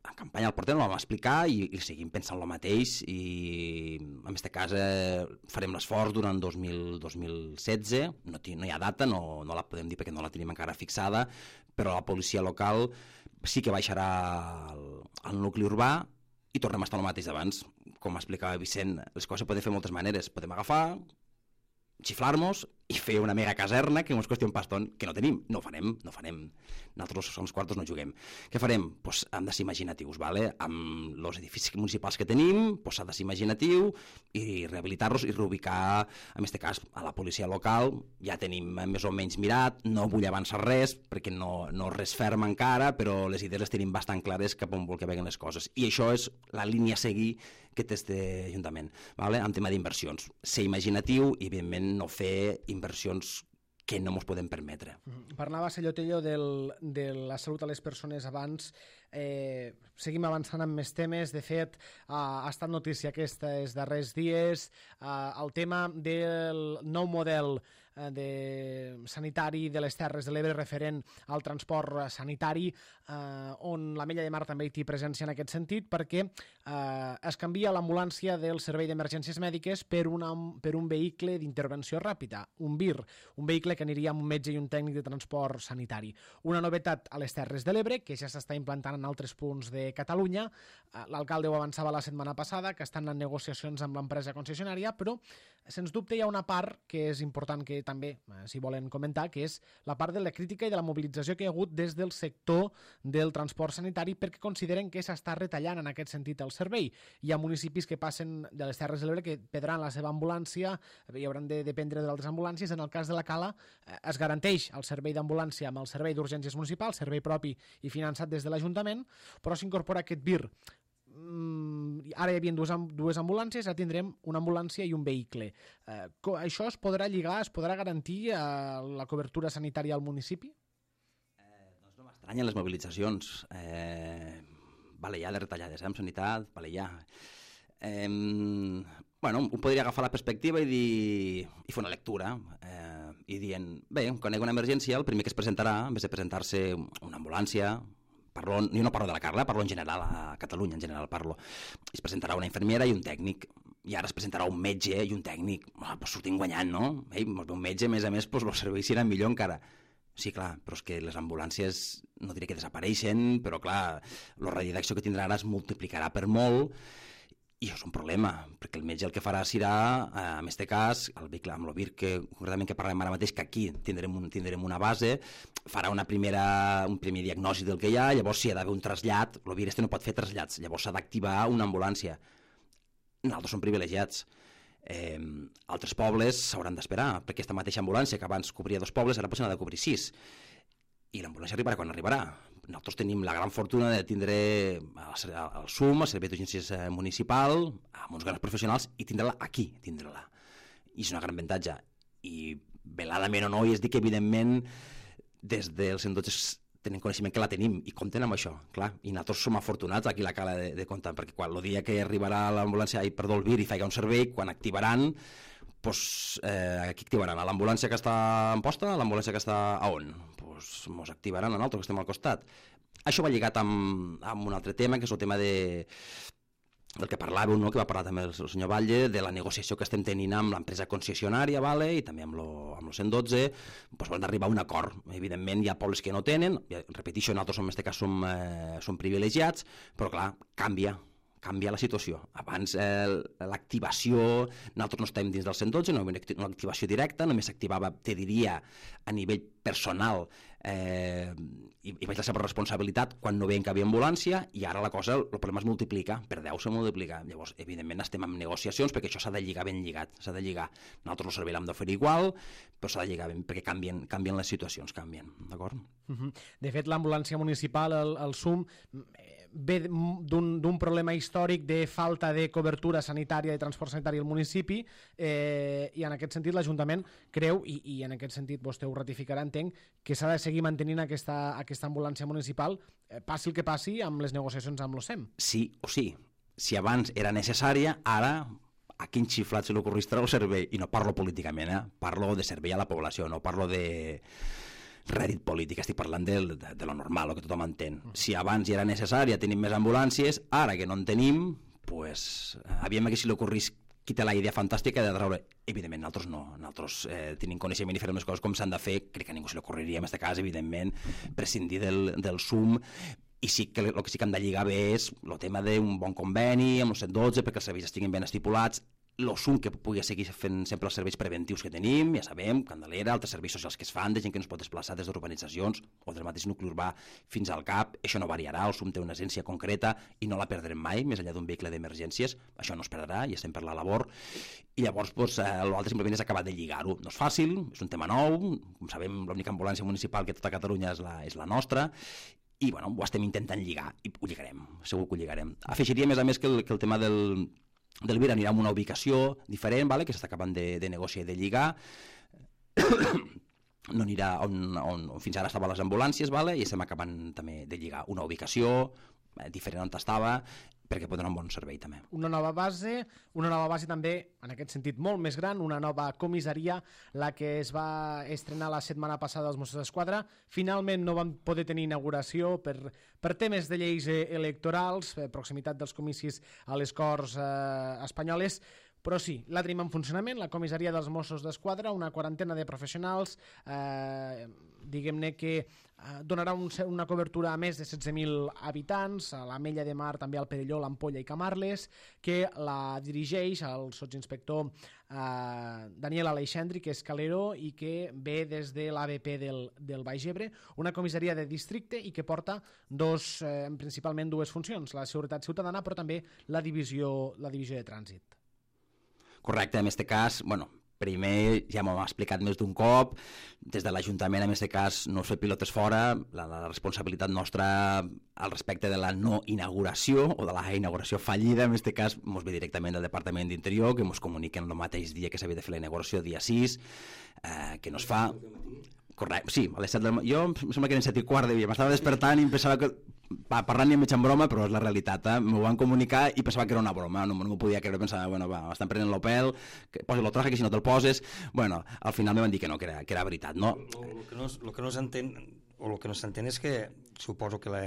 en campanya al portem, ho vam explicar i, i seguim pensant el mateix i en aquest cas eh, farem l'esforç durant dos mil setze, no, no hi ha data, no, no la podem dir perquè no la tenim encara fixada, però la policia local sí que baixarà al, al nucli urbà i tornem a estar el mateix d'abans. Com explicava Vicent, les coses poden fer moltes maneres, podem agafar, xiflar-nos i fer una mega caserna que ens costi un pastón, que no tenim, no ho farem, no ho farem. Nosaltres als quartos no juguem. Què farem? Pues hem de ser imaginatius, ¿vale? Amb els edificis municipals que tenim, pues s'ha de ser imaginatiu i rehabilitar-los i reubicar, en aquest cas, a la policia local. Ja tenim més o menys mirat, no vull avançar res, perquè no, no res ferm encara, però les idees les tenim bastant clares cap on vol que veguen les coses. I això és la línia a seguir que té este Ajuntament, ¿vale? En tema d'inversions. Ser imaginatiu i, evidentment, no fer inversions que no ens podem permetre. Parlava Sellotello del, de la salut a les persones abans. Eh, seguim avançant amb més temes. De fet, eh, ha estat notícia aquests darrers dies eh, el tema del nou model eh, de sanitari de les Terres de l'Ebre referent al transport sanitari, eh, on l'Ametlla de Mar també hi té presència en aquest sentit, perquè eh, es canvia l'ambulància del servei d'emergències mèdiques per, una, per un vehicle d'intervenció ràpida, un V I R, un vehicle que aniria amb un metge i un tècnic de transport sanitari. Una novetat a les Terres de l'Ebre, que ja s'està implantant en altres punts de Catalunya. L'alcalde ho avançava la setmana passada, que estan en negociacions amb l'empresa concessionària, però sens dubte hi ha una part que és important que també, si volen comentar, que és la part de la crítica i de la mobilització que hi ha hagut des del sector del transport sanitari, perquè consideren que s'està retallant en aquest sentit el servei. Hi ha municipis que passen de les Terres de l'Ebre que perdran la seva ambulància i hauran de dependre d'altres ambulàncies. En el cas de la Cala es garanteix el servei d'ambulància amb el servei d'urgències municipal, servei propi i finançat des de l'Ajuntament, però s'incorpora aquest V I R. Mm, ara hi havia dues, dues ambulàncies, ara tindrem una ambulància i un vehicle. Eh, això es podrà lligar, es podrà garantir eh, la cobertura sanitària al municipi? Eh, doncs no m'estranyen les mobilitzacions. Eh, vale, ja de retallades, eh, amb sanitat, vale, ja. Eh, bueno, un podria agafar la perspectiva i dir i fer una lectura eh, i dient, bé, quan hi ha una emergència el primer que es presentarà, en vez de presentar-se una ambulància, parlo, jo no parlo de la Carla, parlo en general, a Catalunya en general parlo, es presentarà una infermera i un tècnic, i ara es presentarà un metge i un tècnic, oh, pues sortim guanyant, no? Ei, un metge, a més a més, pues, els serveis seran millor encara. Sí, clar, però és que les ambulàncies no diré que desapareixen, però clar, el radi d'acció que tindrà ara es multiplicarà per molt. I això és un problema, perquè el metge el que farà serà, eh, en aquest cas, el vehicle amb el V I R, que concretament que parlem ara mateix, que aquí tindrem, un, tindrem una base, farà una primera, un primer diagnòstic del que hi ha, llavors si hi ha d'haver un trasllat, el V I R este no pot fer trasllats, llavors s'ha d'activar una ambulància. Nosaltres som privilegiats. Eh, altres pobles s'hauran d'esperar, perquè aquesta mateixa ambulància que abans cobria dos pobles, ara potser n'ha de cobrir sis. I l'ambulància arribarà quan arribarà. Nosaltres tenim la gran fortuna de tindre el S U M, el Servei d'Urgències Municipal, amb uns grans professionals, i tindre-la aquí, tindre-la. I és una gran avantatge. I veladament o no, i és dir que evidentment des del cent dotze tenen coneixement que la tenim i compten amb això, clar, i nosaltres som afortunats aquí a la Cala de, de comptar, perquè quan el dia que arribarà l'ambulància, ai, perdó, el V I R i faig un servei, quan activaran, pues, eh, aquí activaran a l'ambulància que està en posta, a l'ambulància que està a on? Pues mos activaran a nosaltres que estem al costat. Això va lligat amb, amb un altre tema, que és el tema de, del que parlàveu, no? Que va parlar també el, el senyor Batlle, de la negociació que estem tenint amb l'empresa concessionària, vale? I també amb lo, amb lo cent dotze, pues, van arribar a un acord. Evidentment hi ha pobles que no tenen, ja, repeteixo, nosaltres en aquest cas som, eh, som privilegiats, però clar, canvia, canvia la situació. Abans eh, l'activació, nosaltres no estem dins del cent dotze, no hi havia una activació directa, només s'activava, te diria, a nivell personal, eh, i, i vaig la seva responsabilitat quan no veiem que hi havia ambulància, i ara la cosa, el problema es multiplica, per deu se multiplica. Llavors, evidentment, estem en negociacions perquè això s'ha de lligar ben lligat, s'ha de lligar. Nosaltres el servei l'hem d'oferir igual, però s'ha de lligar ben, perquè canvien, canvien les situacions, canvien, d'acord? Uh-huh. De fet, l'ambulància municipal, el, el S U M, eh, ve d'un problema històric de falta de cobertura sanitària, de transport sanitari al municipi, eh, i en aquest sentit l'Ajuntament creu, i, i en aquest sentit vostè ho ratificarà, entenc, que s'ha de seguir mantenint aquesta, aquesta ambulància municipal, eh, passi el que passi amb les negociacions amb l'O S E M. Sí o sí. Si abans era necessària, ara a quin xiflat se li ocorristarà el servei? I no parlo políticament, eh? Parlo de servei a la població, no parlo de rèdit polític, estic parlant de, de, de lo normal, el que tothom entén. Si abans ja era necessària, tenim més ambulàncies, ara que no en tenim, pues, aviam que si li ocorrís qui té la idea fantàstica de treure. Evidentment, nosaltres no. Nosaltres eh, tenim coneixement i farem les coses com s'han de fer. Crec que a ningú se li ocorriria, en aquest cas, evidentment, prescindir del, del S U M. I sí que el que sí que hem de lligar bé és el tema d'un bon conveni amb el cent dotze perquè els serveis estiguin ben estipulats, el S U M que pugui seguir fent sempre els serveis preventius que tenim, ja sabem, Candelera, altres serveis socials que es fan, de gent que no es pot desplaçar des d'urbanitzacions o del mateix nucli urbà fins al C A P, això no variarà, el S U M té una agència concreta i no la perdrem mai, més enllà d'un vehicle d'emergències, això no es perdrà, ja estem per la labor, i llavors doncs, eh, l'altre simplement és acabar de lligar-ho. No és fàcil, és un tema nou, com sabem, l'única ambulància municipal que tota Catalunya és la, és la nostra, i bueno, ho estem intentant lligar, i ho lligarem, segur que ho lligarem. Afegiria, a més a més, que el, que el tema del del Vir anirà a una ubicació diferent, vale? Que s'està acabant de, de negociar i de lligar, no anirà on, on, on fins ara estaven les ambulàncies, vale? I estem acabant també de lligar una ubicació eh, diferent on estava, perquè pot donar un bon servei també. Una nova base, una nova base també, en aquest sentit, molt més gran, una nova comissaria, la que es va estrenar la setmana passada als Mossos d'Esquadra. Finalment no van poder tenir inauguració per, per temes de lleis electorals, per proximitat dels comicis a les Corts eh, espanyoles, però sí, la tenim en funcionament, la comissaria dels Mossos d'Esquadra, una quarantena de professionals, eh, diguem-ne que eh, donarà un, una cobertura a més de setze mil habitants, a l'Ametlla de Mar, també al Perelló, l'Ampolla i Camarles, que la dirigeix el sotsinspector eh, Daniel Aleixandri, que és calero i que ve des de l'A B P del, del Baix Ebre, una comissaria de districte i que porta dos, eh, principalment dues funcions, la seguretat ciutadana, però també la divisió, la divisió de trànsit. Correcte, en aquest cas, bueno, primer ja m'ho hem explicat més d'un cop, des de l'Ajuntament en aquest cas no fer pilotes fora, la, la responsabilitat nostra al respecte de la no inauguració o de la inauguració fallida, en aquest cas ens ve directament del Departament d'Interior, que ens comuniquen el mateix dia que s'havia de fer la inauguració, dia sis, eh, que no es fa. Correcte, sí, a les set del... Jo em sembla que eren set i quart de dia, m'estava despertant i em pensava que... Va, parlant ni mig en broma, però és la realitat, eh? M'ho van comunicar i pensava que era una broma, no, no m'ho podia creure, pensava, bueno, va, estan prenent l'Opel, posa el traje, que si no te'l poses... Bueno, al final me van dir que no, que era, que era veritat, no? El que no, lo que no s'entén, o el que no s'entén és que suposo que la,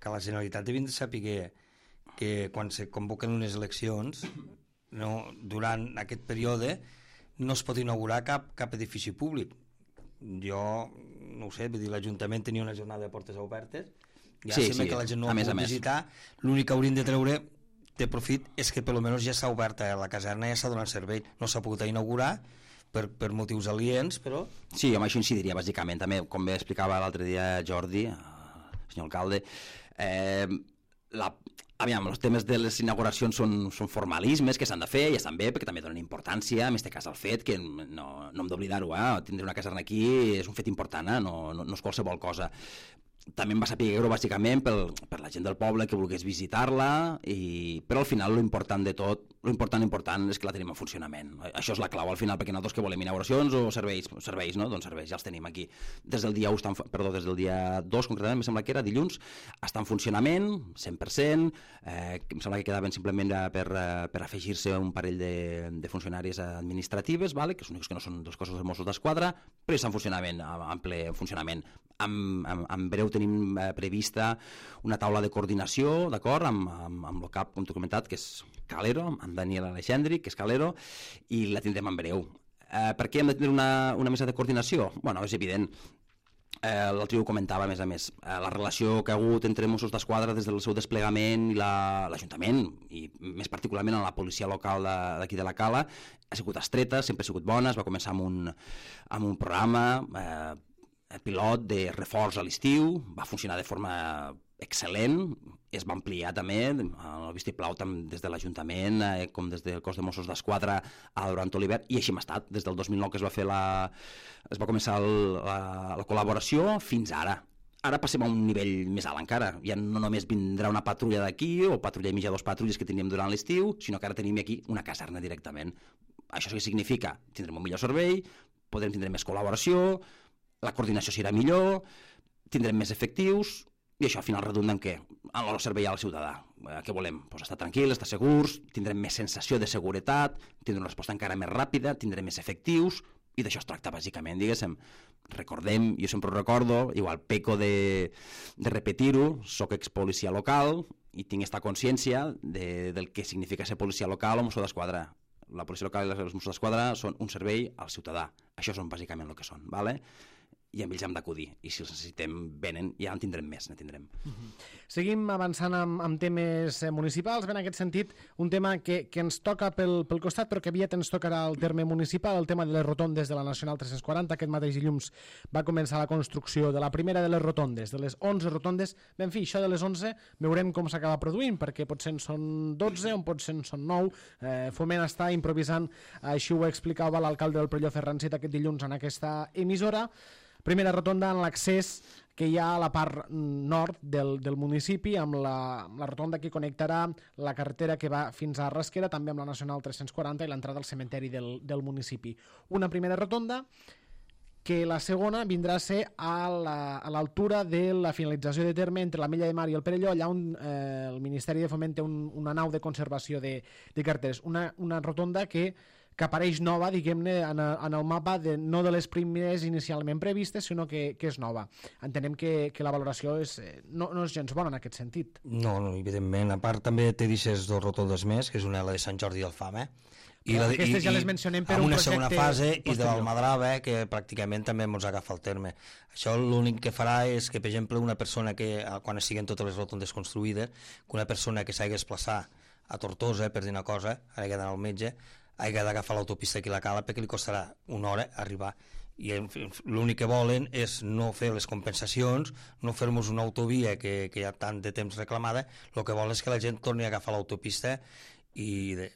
que la Generalitat devien de saber que, que quan se convoquen unes eleccions, no, durant aquest període, no es pot inaugurar cap, cap edifici públic. Jo, no ho sé, vull dir, l'Ajuntament tenia una jornada de portes obertes, ja sí, sembla sí, que la gent no ho pot visitar, l'únic que haurien de treure de profit és que per almenys ja s'ha obert la caserna, ja s'ha donat servei, no s'ha pogut inaugurar per, per motius aliens, però... Sí, amb això incidiria, bàsicament, també, com bé explicava l'altre dia Jordi, el senyor alcalde, eh, la... Aviam, els temes de les inauguracions són, són formalismes que s'han de fer i estan bé perquè també donen importància, en aquest cas el fet que no, no hem d'oblidar-ho, eh? Tindre una caserna aquí és un fet important, eh? no, no, no és qualsevol cosa. També em va saber-ho bàsicament per, per la gent del poble que volgués visitar-la, i... però al final l'important de tot, l'important important és que la tenim en funcionament. Això és la clau al final, perquè nosaltres que volem inauguracions o serveis, serveis, no? Doncs serveis, ja els tenim aquí. Des del dia u, estan, perdó, des del dia dos concretament, em sembla que era dilluns, està en funcionament, cent per cent, eh, em sembla que quedaven simplement per, per afegir-se un parell de, de funcionàries administratives, vale? Que són únics que no són dels cossos de Mossos d'Esquadra, però està en funcionament, en ple funcionament. En, en, en breu tenim eh, prevista una taula de coordinació, d'acord, amb, amb, amb el cap, com t'he comentat, que és Calero, amb Daniel Aleixandri, que és Calero, i la tindrem en breu. Eh, per què hem de tenir una, una mesa de coordinació? Bueno, és evident. Eh, L'altre ho comentava, a més a més, eh, la relació que ha hagut entre Mossos d'Esquadra des del seu desplegament i l'Ajuntament, i més particularment a la policia local d'aquí de, de la Cala, ha sigut estreta, sempre ha sigut bona, es va començar amb un, amb un programa eh, pilot de reforç a l'estiu, va funcionar de forma excel·lent, es va ampliar també el vistiplau tant des de l'Ajuntament eh, com des del cos de Mossos d'Esquadra durant l'hivern, i així hem estat des del dos mil nou que es va fer la, es va començar el, la, la col·laboració fins ara. Ara passem a un nivell més alt encara. Ja no només vindrà una patrulla d'aquí o patrulla i mitja, dos patrulles que teníem durant l'estiu, sinó que ara tenim aquí una caserna directament. Això què significa? Tindrem un millor servei, podrem tindre més col·laboració, la coordinació serà millor, tindrem més efectius, i això al final redunda en què? En el servei al ciutadà. Què volem? Pues estar tranquils, estar segurs, tindrem més sensació de seguretat, tindrem una resposta encara més ràpida, tindrem més efectius, i d'això es tracta bàsicament, diguéssim. Recordem, jo sempre ho recordo, igual peco de, de repetir-ho, soc expolicia local i tinc aquesta consciència de, del que significa ser policia local o Mosso d'Esquadra. La policia local i els Mossos d'Esquadra són un servei al ciutadà. Això són bàsicament el que són, ¿vale? I amb ells hem d'acudir, i si els necessitem venen, ja en tindrem més, ne tindrem. Uh-huh. Seguim avançant amb, amb temes municipals, ben en aquest sentit, un tema que, que ens toca pel, pel costat, però que aviat ens tocarà el terme municipal, el tema de les rotondes de la Nacional tres-cents quaranta. Aquest mateix dilluns va començar la construcció de la primera de les rotondes, de les onze rotondes. Ben fi, això de les onze veurem com s'acaba produint, perquè potser en són dotze, o potser en són nou. Eh, Foment està improvisant, així ho explicava l'alcalde del Perelló, Ferran Cid, aquest dilluns en aquesta emissora. Primera rotonda en l'accés que hi ha a la part nord del, del municipi, amb la, amb la rotonda que connectarà la carretera que va fins a Rasquera, també amb la Nacional tres-cents quaranta i l'entrada al cementeri del, del municipi. Una primera rotonda que la segona vindrà a ser a l'altura la, de la finalització de terme entre la Mella de Mar i el Perelló, allà on eh, el Ministeri de Foment té un, una nau de conservació de, de carreteres. Una, una rotonda que que apareix nova, diguem-ne, en, en el mapa, de, no de les primeres inicialment previstes, sinó que, que és nova. Entenem que, que la valoració és, no, no és gens bona en aquest sentit. No, no, evidentment. A part també té deixes dos rotondes més, que és una la de Sant Jordi del Fam, eh? I la, aquestes i, ja les mencionem per un una projecte segona fase posterior. I de l'Almadrava, que pràcticament també ens agafa el terme. Això l'únic que farà és que, per exemple, una persona que, quan estiguen totes les rotondes construïdes, que una persona que s'hagi desplaçar a Tortosa, per dir una cosa, hagi d'anar al metge, hagi d'agafar l'autopista aquí a la Cala perquè li costarà una hora arribar. I l'únic que volen és no fer les compensacions, no fer-nos una autovia que, que hi ha tant de temps reclamada, el que volen és que la gent torni a agafar l'autopista. I de,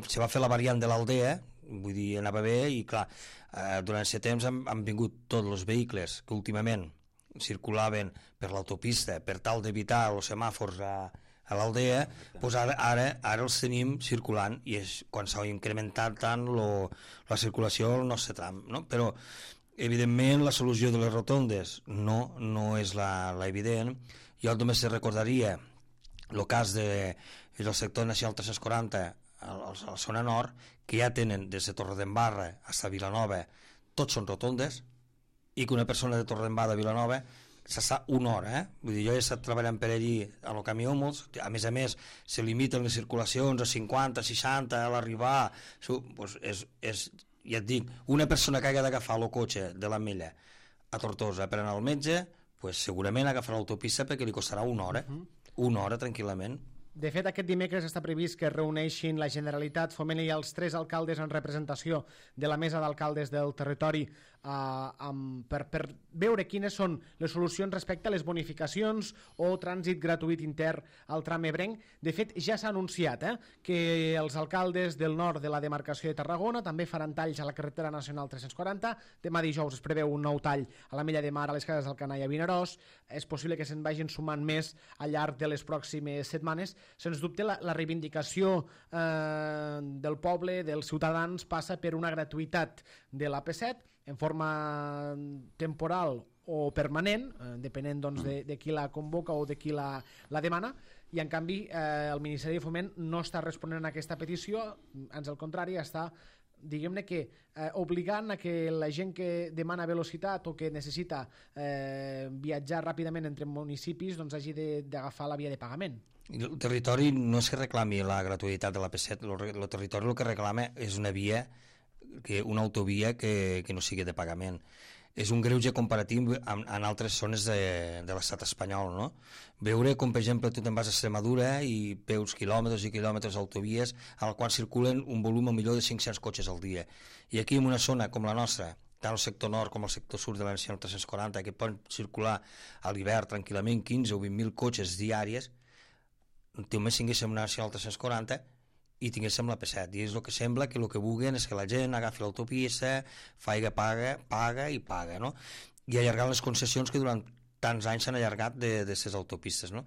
se va fer la variant de l'Aldea, vull dir, anava bé, i clar, eh, durant aquest temps han, han vingut tots els vehicles que últimament circulaven per l'autopista per tal d'evitar els semàfors a a l'Aldea, doncs ara, ara, ara els tenim circulant i és quan s'ha incrementat tant lo, la circulació al nostre tram, no? Però evidentment la solució de les rotondes no, no és la, la evident. Jo només recordaria el cas de, del sector nacional tres-cents quaranta a, a la zona nord, que ja tenen des de Torredembarra fins a Vilanova, tots són rotondes, i que una persona de Torredembarra a Vilanova s'està una hora, eh? Vull dir, jo he estat treballant per allí a lo camió molts, a més a més se limiten les circulacions a cinquanta, seixanta a l'arribar, pues és, és, ja et dic, una persona que hagi d'agafar el cotxe de l'Ametlla a Tortosa per anar al metge, pues segurament agafarà l'autopista perquè li costarà una hora, una hora tranquil·lament. De fet, aquest dimecres està previst que es reuneixin la Generalitat, Foment i els tres alcaldes en representació de la mesa d'alcaldes del territori eh, amb, per, per veure quines són les solucions respecte a les bonificacions o trànsit gratuït intern al tram ebrenc. De fet, ja s'ha anunciat eh, que els alcaldes del nord de la demarcació de Tarragona també faran talls a la carretera nacional tres-cents quaranta. Demà dijous es preveu un nou tall a la Mella de Mar, a les Cases d'Alcanar i a Vinaròs. És possible que se'n vagin sumant més al llarg de les pròximes setmanes. Sens dubte, la, la reivindicació eh, del poble, dels ciutadans, passa per una gratuïtat de l'A P set en forma temporal o permanent, eh, depenent doncs, de, de qui la convoca o de qui la, la demana, i en canvi eh, el Ministeri de Foment no està responent a aquesta petició, ans al contrari, està diguem-ne que eh, obligant a que la gent que demana velocitat o que necessita eh, viatjar ràpidament entre municipis doncs hagi d'agafar la via de pagament. El territori no és que reclami la gratuïtat de l'A P set, el territori el que reclama és una via, que, una autovia que, que no sigui de pagament. És un greuge comparatiu amb, en altres zones de, de l'estat espanyol, no? Veure com, per exemple, tu te'n vas a Extremadura i veus quilòmetres i quilòmetres d'autovies al qual circulen un volum millor de cinc-cents cotxes al dia. I aquí en una zona com la nostra, tant el sector nord com el sector sud de la Nacional tres-cents quaranta, que poden circular a l'hivern tranquil·lament quinze o vint mil cotxes diàries, només tinguéssim una Nacional tres-cents quaranta i tinguéssim l'A P set, i és el que sembla que el que vulguin és que la gent agafi l'autopista, faiga paga, paga i paga, no? I allargant les concessions que durant tants anys s'han allargat de les autopistes, no?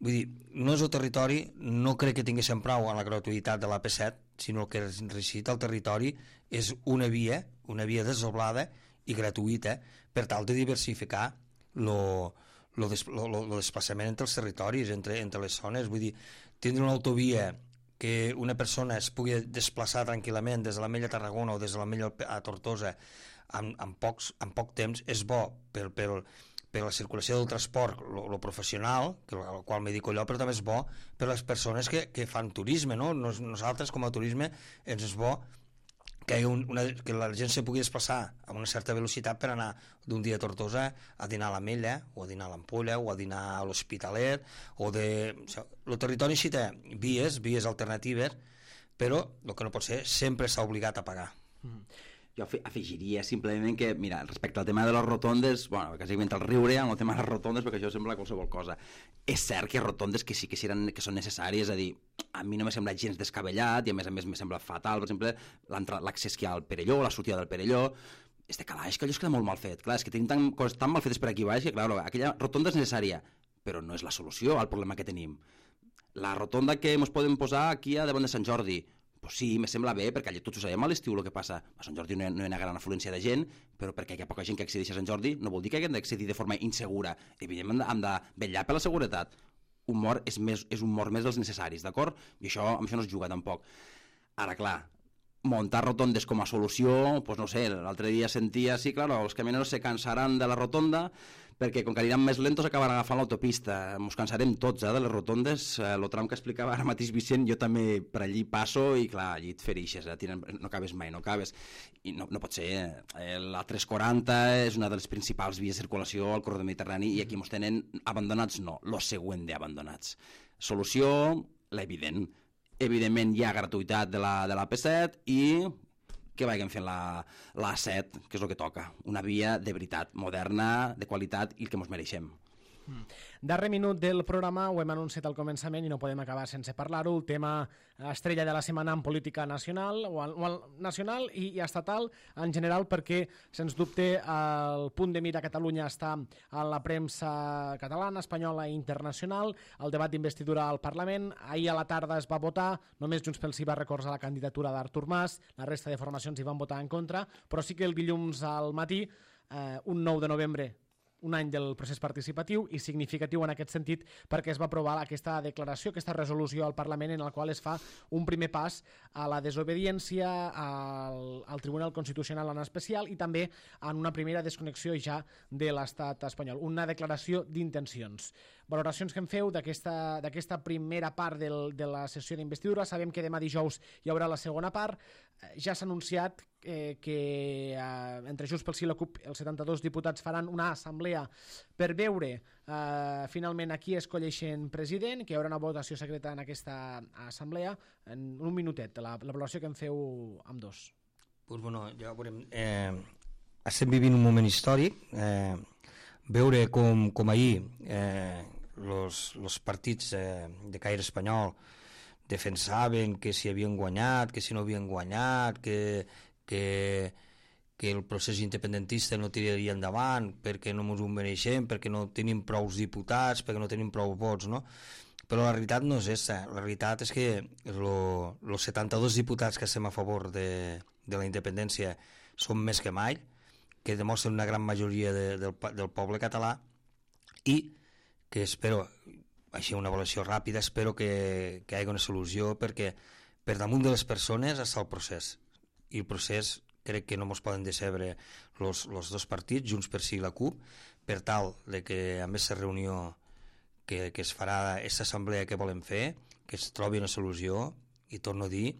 Vull dir, no és el territori, no crec que tinguéssim prou a la gratuïtat de l'A P set, sinó que el que necessita el territori és una via, una via desdoblada i gratuïta per tal de diversificar lo, lo, des, lo, lo desplaçament entre els territoris, entre, entre les zones. Vull dir, tindre una autovia que una persona es pugui desplaçar tranquil·lament des de l'Ametlla a Tarragona o des de l'Ametlla a Tortosa en, en, pocs, en poc temps és bo per, per, per la circulació del transport, lo professional, que, al qual me dedico jo, però també és bo per les persones que, que fan turisme, no? Nos, nosaltres com a turisme ens és bo que, hi un, una, que la gent se pugui desplaçar amb una certa velocitat per anar d'un dia a Tortosa a dinar a l'Ametlla, o a dinar a l'Ampolla, o a dinar a l'Hospitalet, o de... O sigui, el territori sí té vies, vies alternatives, però el que no pot ser, sempre s'ha obligat a pagar. Mm. Jo afegiria simplement que, mira, respecte al tema de les rotondes, bueno, quasi inventa el riure amb el tema de les rotondes, perquè això sembla qualsevol cosa. És cert que hi ha rotondes que sí que, seran, que són necessàries, és a dir, a mi no m'ha semblat gens descabellat i a més a més m'ha semblat fatal, per exemple, l'accés que hi ha al Perelló, la sortida del Perelló, este calaix, que allò es queda molt mal fet. Clar, és que tenim tan, coses tan mal fetes per aquí baix que, clar, aquella rotonda és necessària, però no és la solució al problema que tenim. La rotonda que ens podem posar aquí a davant de Sant Jordi, pues sí, me sembla bé, perquè allà tots ho sabem a l'estiu el que passa. A Sant Jordi no hi, ha, no hi ha una gran afluència de gent, però perquè hi ha poca gent que accedeix a Sant Jordi no vol dir que haguem d'accedir de forma insegura. Evidentment hem de vetllar per la seguretat. Un mort és, més, és un mort més dels necessaris, d'acord? I això, amb això no es juga tampoc. Ara, clar, muntar rotondes com a solució, pues no sé, l'altre dia sentia, sí, claro, els camioneros se cansaran de la rotonda perquè com que aniran més lentos acabaran agafant l'autopista. Ens cansarem tots, eh, de les rotondes. El tram que explicava ara mateix Vicent, jo també per allí passo i clar, allí et ferixes, eh? Tiren, no cabes mai, no cabes. I no, no pot ser. Eh? La tres quaranta és una de les principals vies de circulació al corredor mediterrani i aquí ens tenen abandonats, no, lo següent d'abandonats. Solució, l'evident. Evidentment hi ha gratuïtat de la, de l'A P set i que vagin fent la, la A set, que és el que toca. Una via de veritat, moderna, de qualitat i el que ens mereixem. Mm. Darrer minut del programa, ho hem anunciat al començament i no podem acabar sense parlar-ho, el tema estrella de la setmana en política nacional o, al, o al, nacional i, i estatal en general, perquè sens dubte el punt de mira a Catalunya està en la premsa catalana, espanyola i internacional, el debat d'investidura al Parlament. Ahir a la tarda es va votar, només Junts pel Sí va recolzar la candidatura d'Artur Mas, la resta de formacions hi van votar en contra, però sí que el dilluns al matí, eh, un nou de novembre, un any del procés participatiu i significatiu en aquest sentit perquè es va aprovar aquesta declaració, aquesta resolució al Parlament en la qual es fa un primer pas a la desobediència al, al Tribunal Constitucional en especial i també en una primera desconnexió ja de l'estat espanyol, una declaració d'intencions. Valoracions que en feu d'aquesta d'aquesta primera part del, de la sessió d'investidura. Sabem que demà dijous hi haurà la segona part. Ja s'ha anunciat eh, que eh, entre Junts pel Sí i la CUP els setanta-dos diputats faran una assemblea per veure eh, finalment a qui escolleixen president, que hi haurà una votació secreta en aquesta assemblea. En un minutet, la, la valoració que en feu amb dos. Pues bueno, ja veurem. Eh, estem vivint un moment històric. Eh, veure com, com ahir eh, los, los partits eh, de caire espanyol defensaven que si havien guanyat, que si no havien guanyat, que, que, que el procés independentista no tiraria endavant perquè no ens ho mereixem, perquè no tenim prou diputats, perquè no tenim prou vots, no? Però la realitat no és aquesta. La realitat és que els setanta-dos diputats que estem a favor de, de la independència són més que mai, que demostren una gran majoria de, del, del poble català i que espero, així una avaluació ràpida, espero que, que hi hagi una solució perquè per damunt de les persones està el procés i el procés crec que no ens poden decebre els dos partits, Junts per Sí i la CUP, per tal de que amb aquesta reunió que, que es farà, aquesta assemblea que volem fer, que es trobi una solució i torno a dir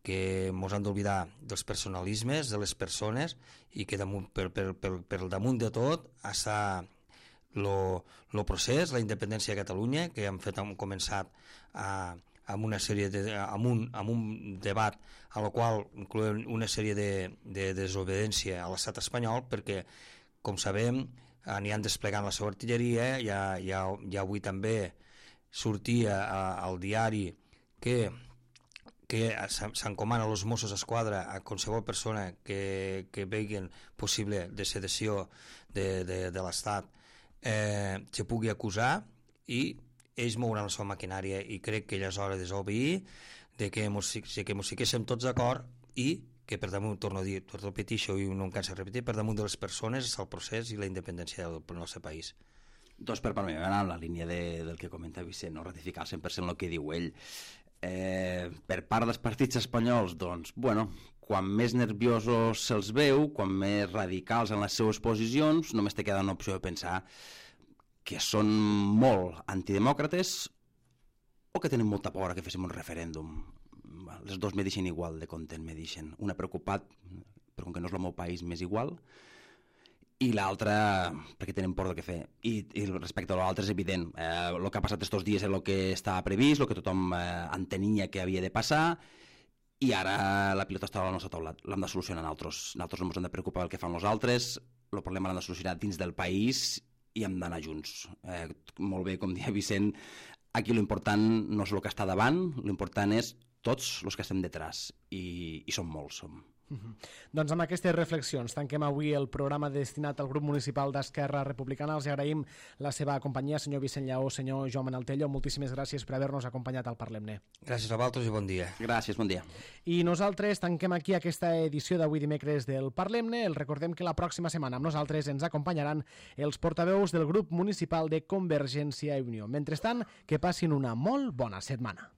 que ens han d'oblidar dels personalismes, de les persones i que damunt, per, per, per, per damunt de tot està el procés, la independència de Catalunya, que hem fet, hem començat a, amb una sèrie de, amb, un, amb un debat a la qual incloem una sèrie de, de desobediència a l'estat espanyol perquè, com sabem, aniran desplegant la seva artilleria. Ja, ja, ja avui també sortia a, al diari que que s'encomana als Mossos d'Esquadra a qualsevol persona que, que vegin possible de sedició de, de, de l'Estat eh, se pugui acusar i ells mouran la seva maquinària, i crec que ja és hora de desobeir, de que mos, que mos fiquéssim tots d'acord i que per damunt, torno a dir, torno a repetir això i no em canso de repetir, per damunt de les persones és el procés i la independència del, del nostre país. Doncs per part meva, en la línia de, del que comenta Vicent, no ratificar al cent per cent el que diu ell. Eh, per part dels partits espanyols, doncs, bueno, quan més nerviosos se'ls veu, quan més radicals en les seves posicions, només te queda una opció de pensar que són molt antidemòcrates o que tenen molta por que féssim un referèndum. Les dos me deixen igual de content, me deixen. Una preocupat, però com que no és el meu país, més igual, i l'altra perquè tenen por del que fer. I, i respecte a l'altre és evident. Eh, el que ha passat estos dies és el que estava previst, el que tothom eh, entenia que havia de passar, i ara la pilota està al nostre taulat. L'hem de solucionar nosaltres. Nosaltres no ens hem de preocupar del que fan els altres, el problema l'hem de solucionar dins del país i hem d'anar junts. Eh, molt bé, com deia Vicent, aquí l'important no és el que està davant, l'important és tots els que estem detrás, i, i som molts, som. Uh-huh. Doncs amb aquestes reflexions tanquem avui el programa destinat al grup municipal d'Esquerra Republicana. Els agraïm la seva companyia, senyor Vicent Lleó, senyor Joan Manaltello. Moltíssimes gràcies per haver-nos acompanyat al Parlem-ne. Gràcies a vosaltres i bon dia. Gràcies, bon dia. I nosaltres tanquem aquí aquesta edició d'avui dimecres del Parlem-ne. El recordem que la pròxima setmana amb nosaltres ens acompanyaran els portaveus del grup municipal de Convergència i Unió. Mentrestant, que passin una molt bona setmana.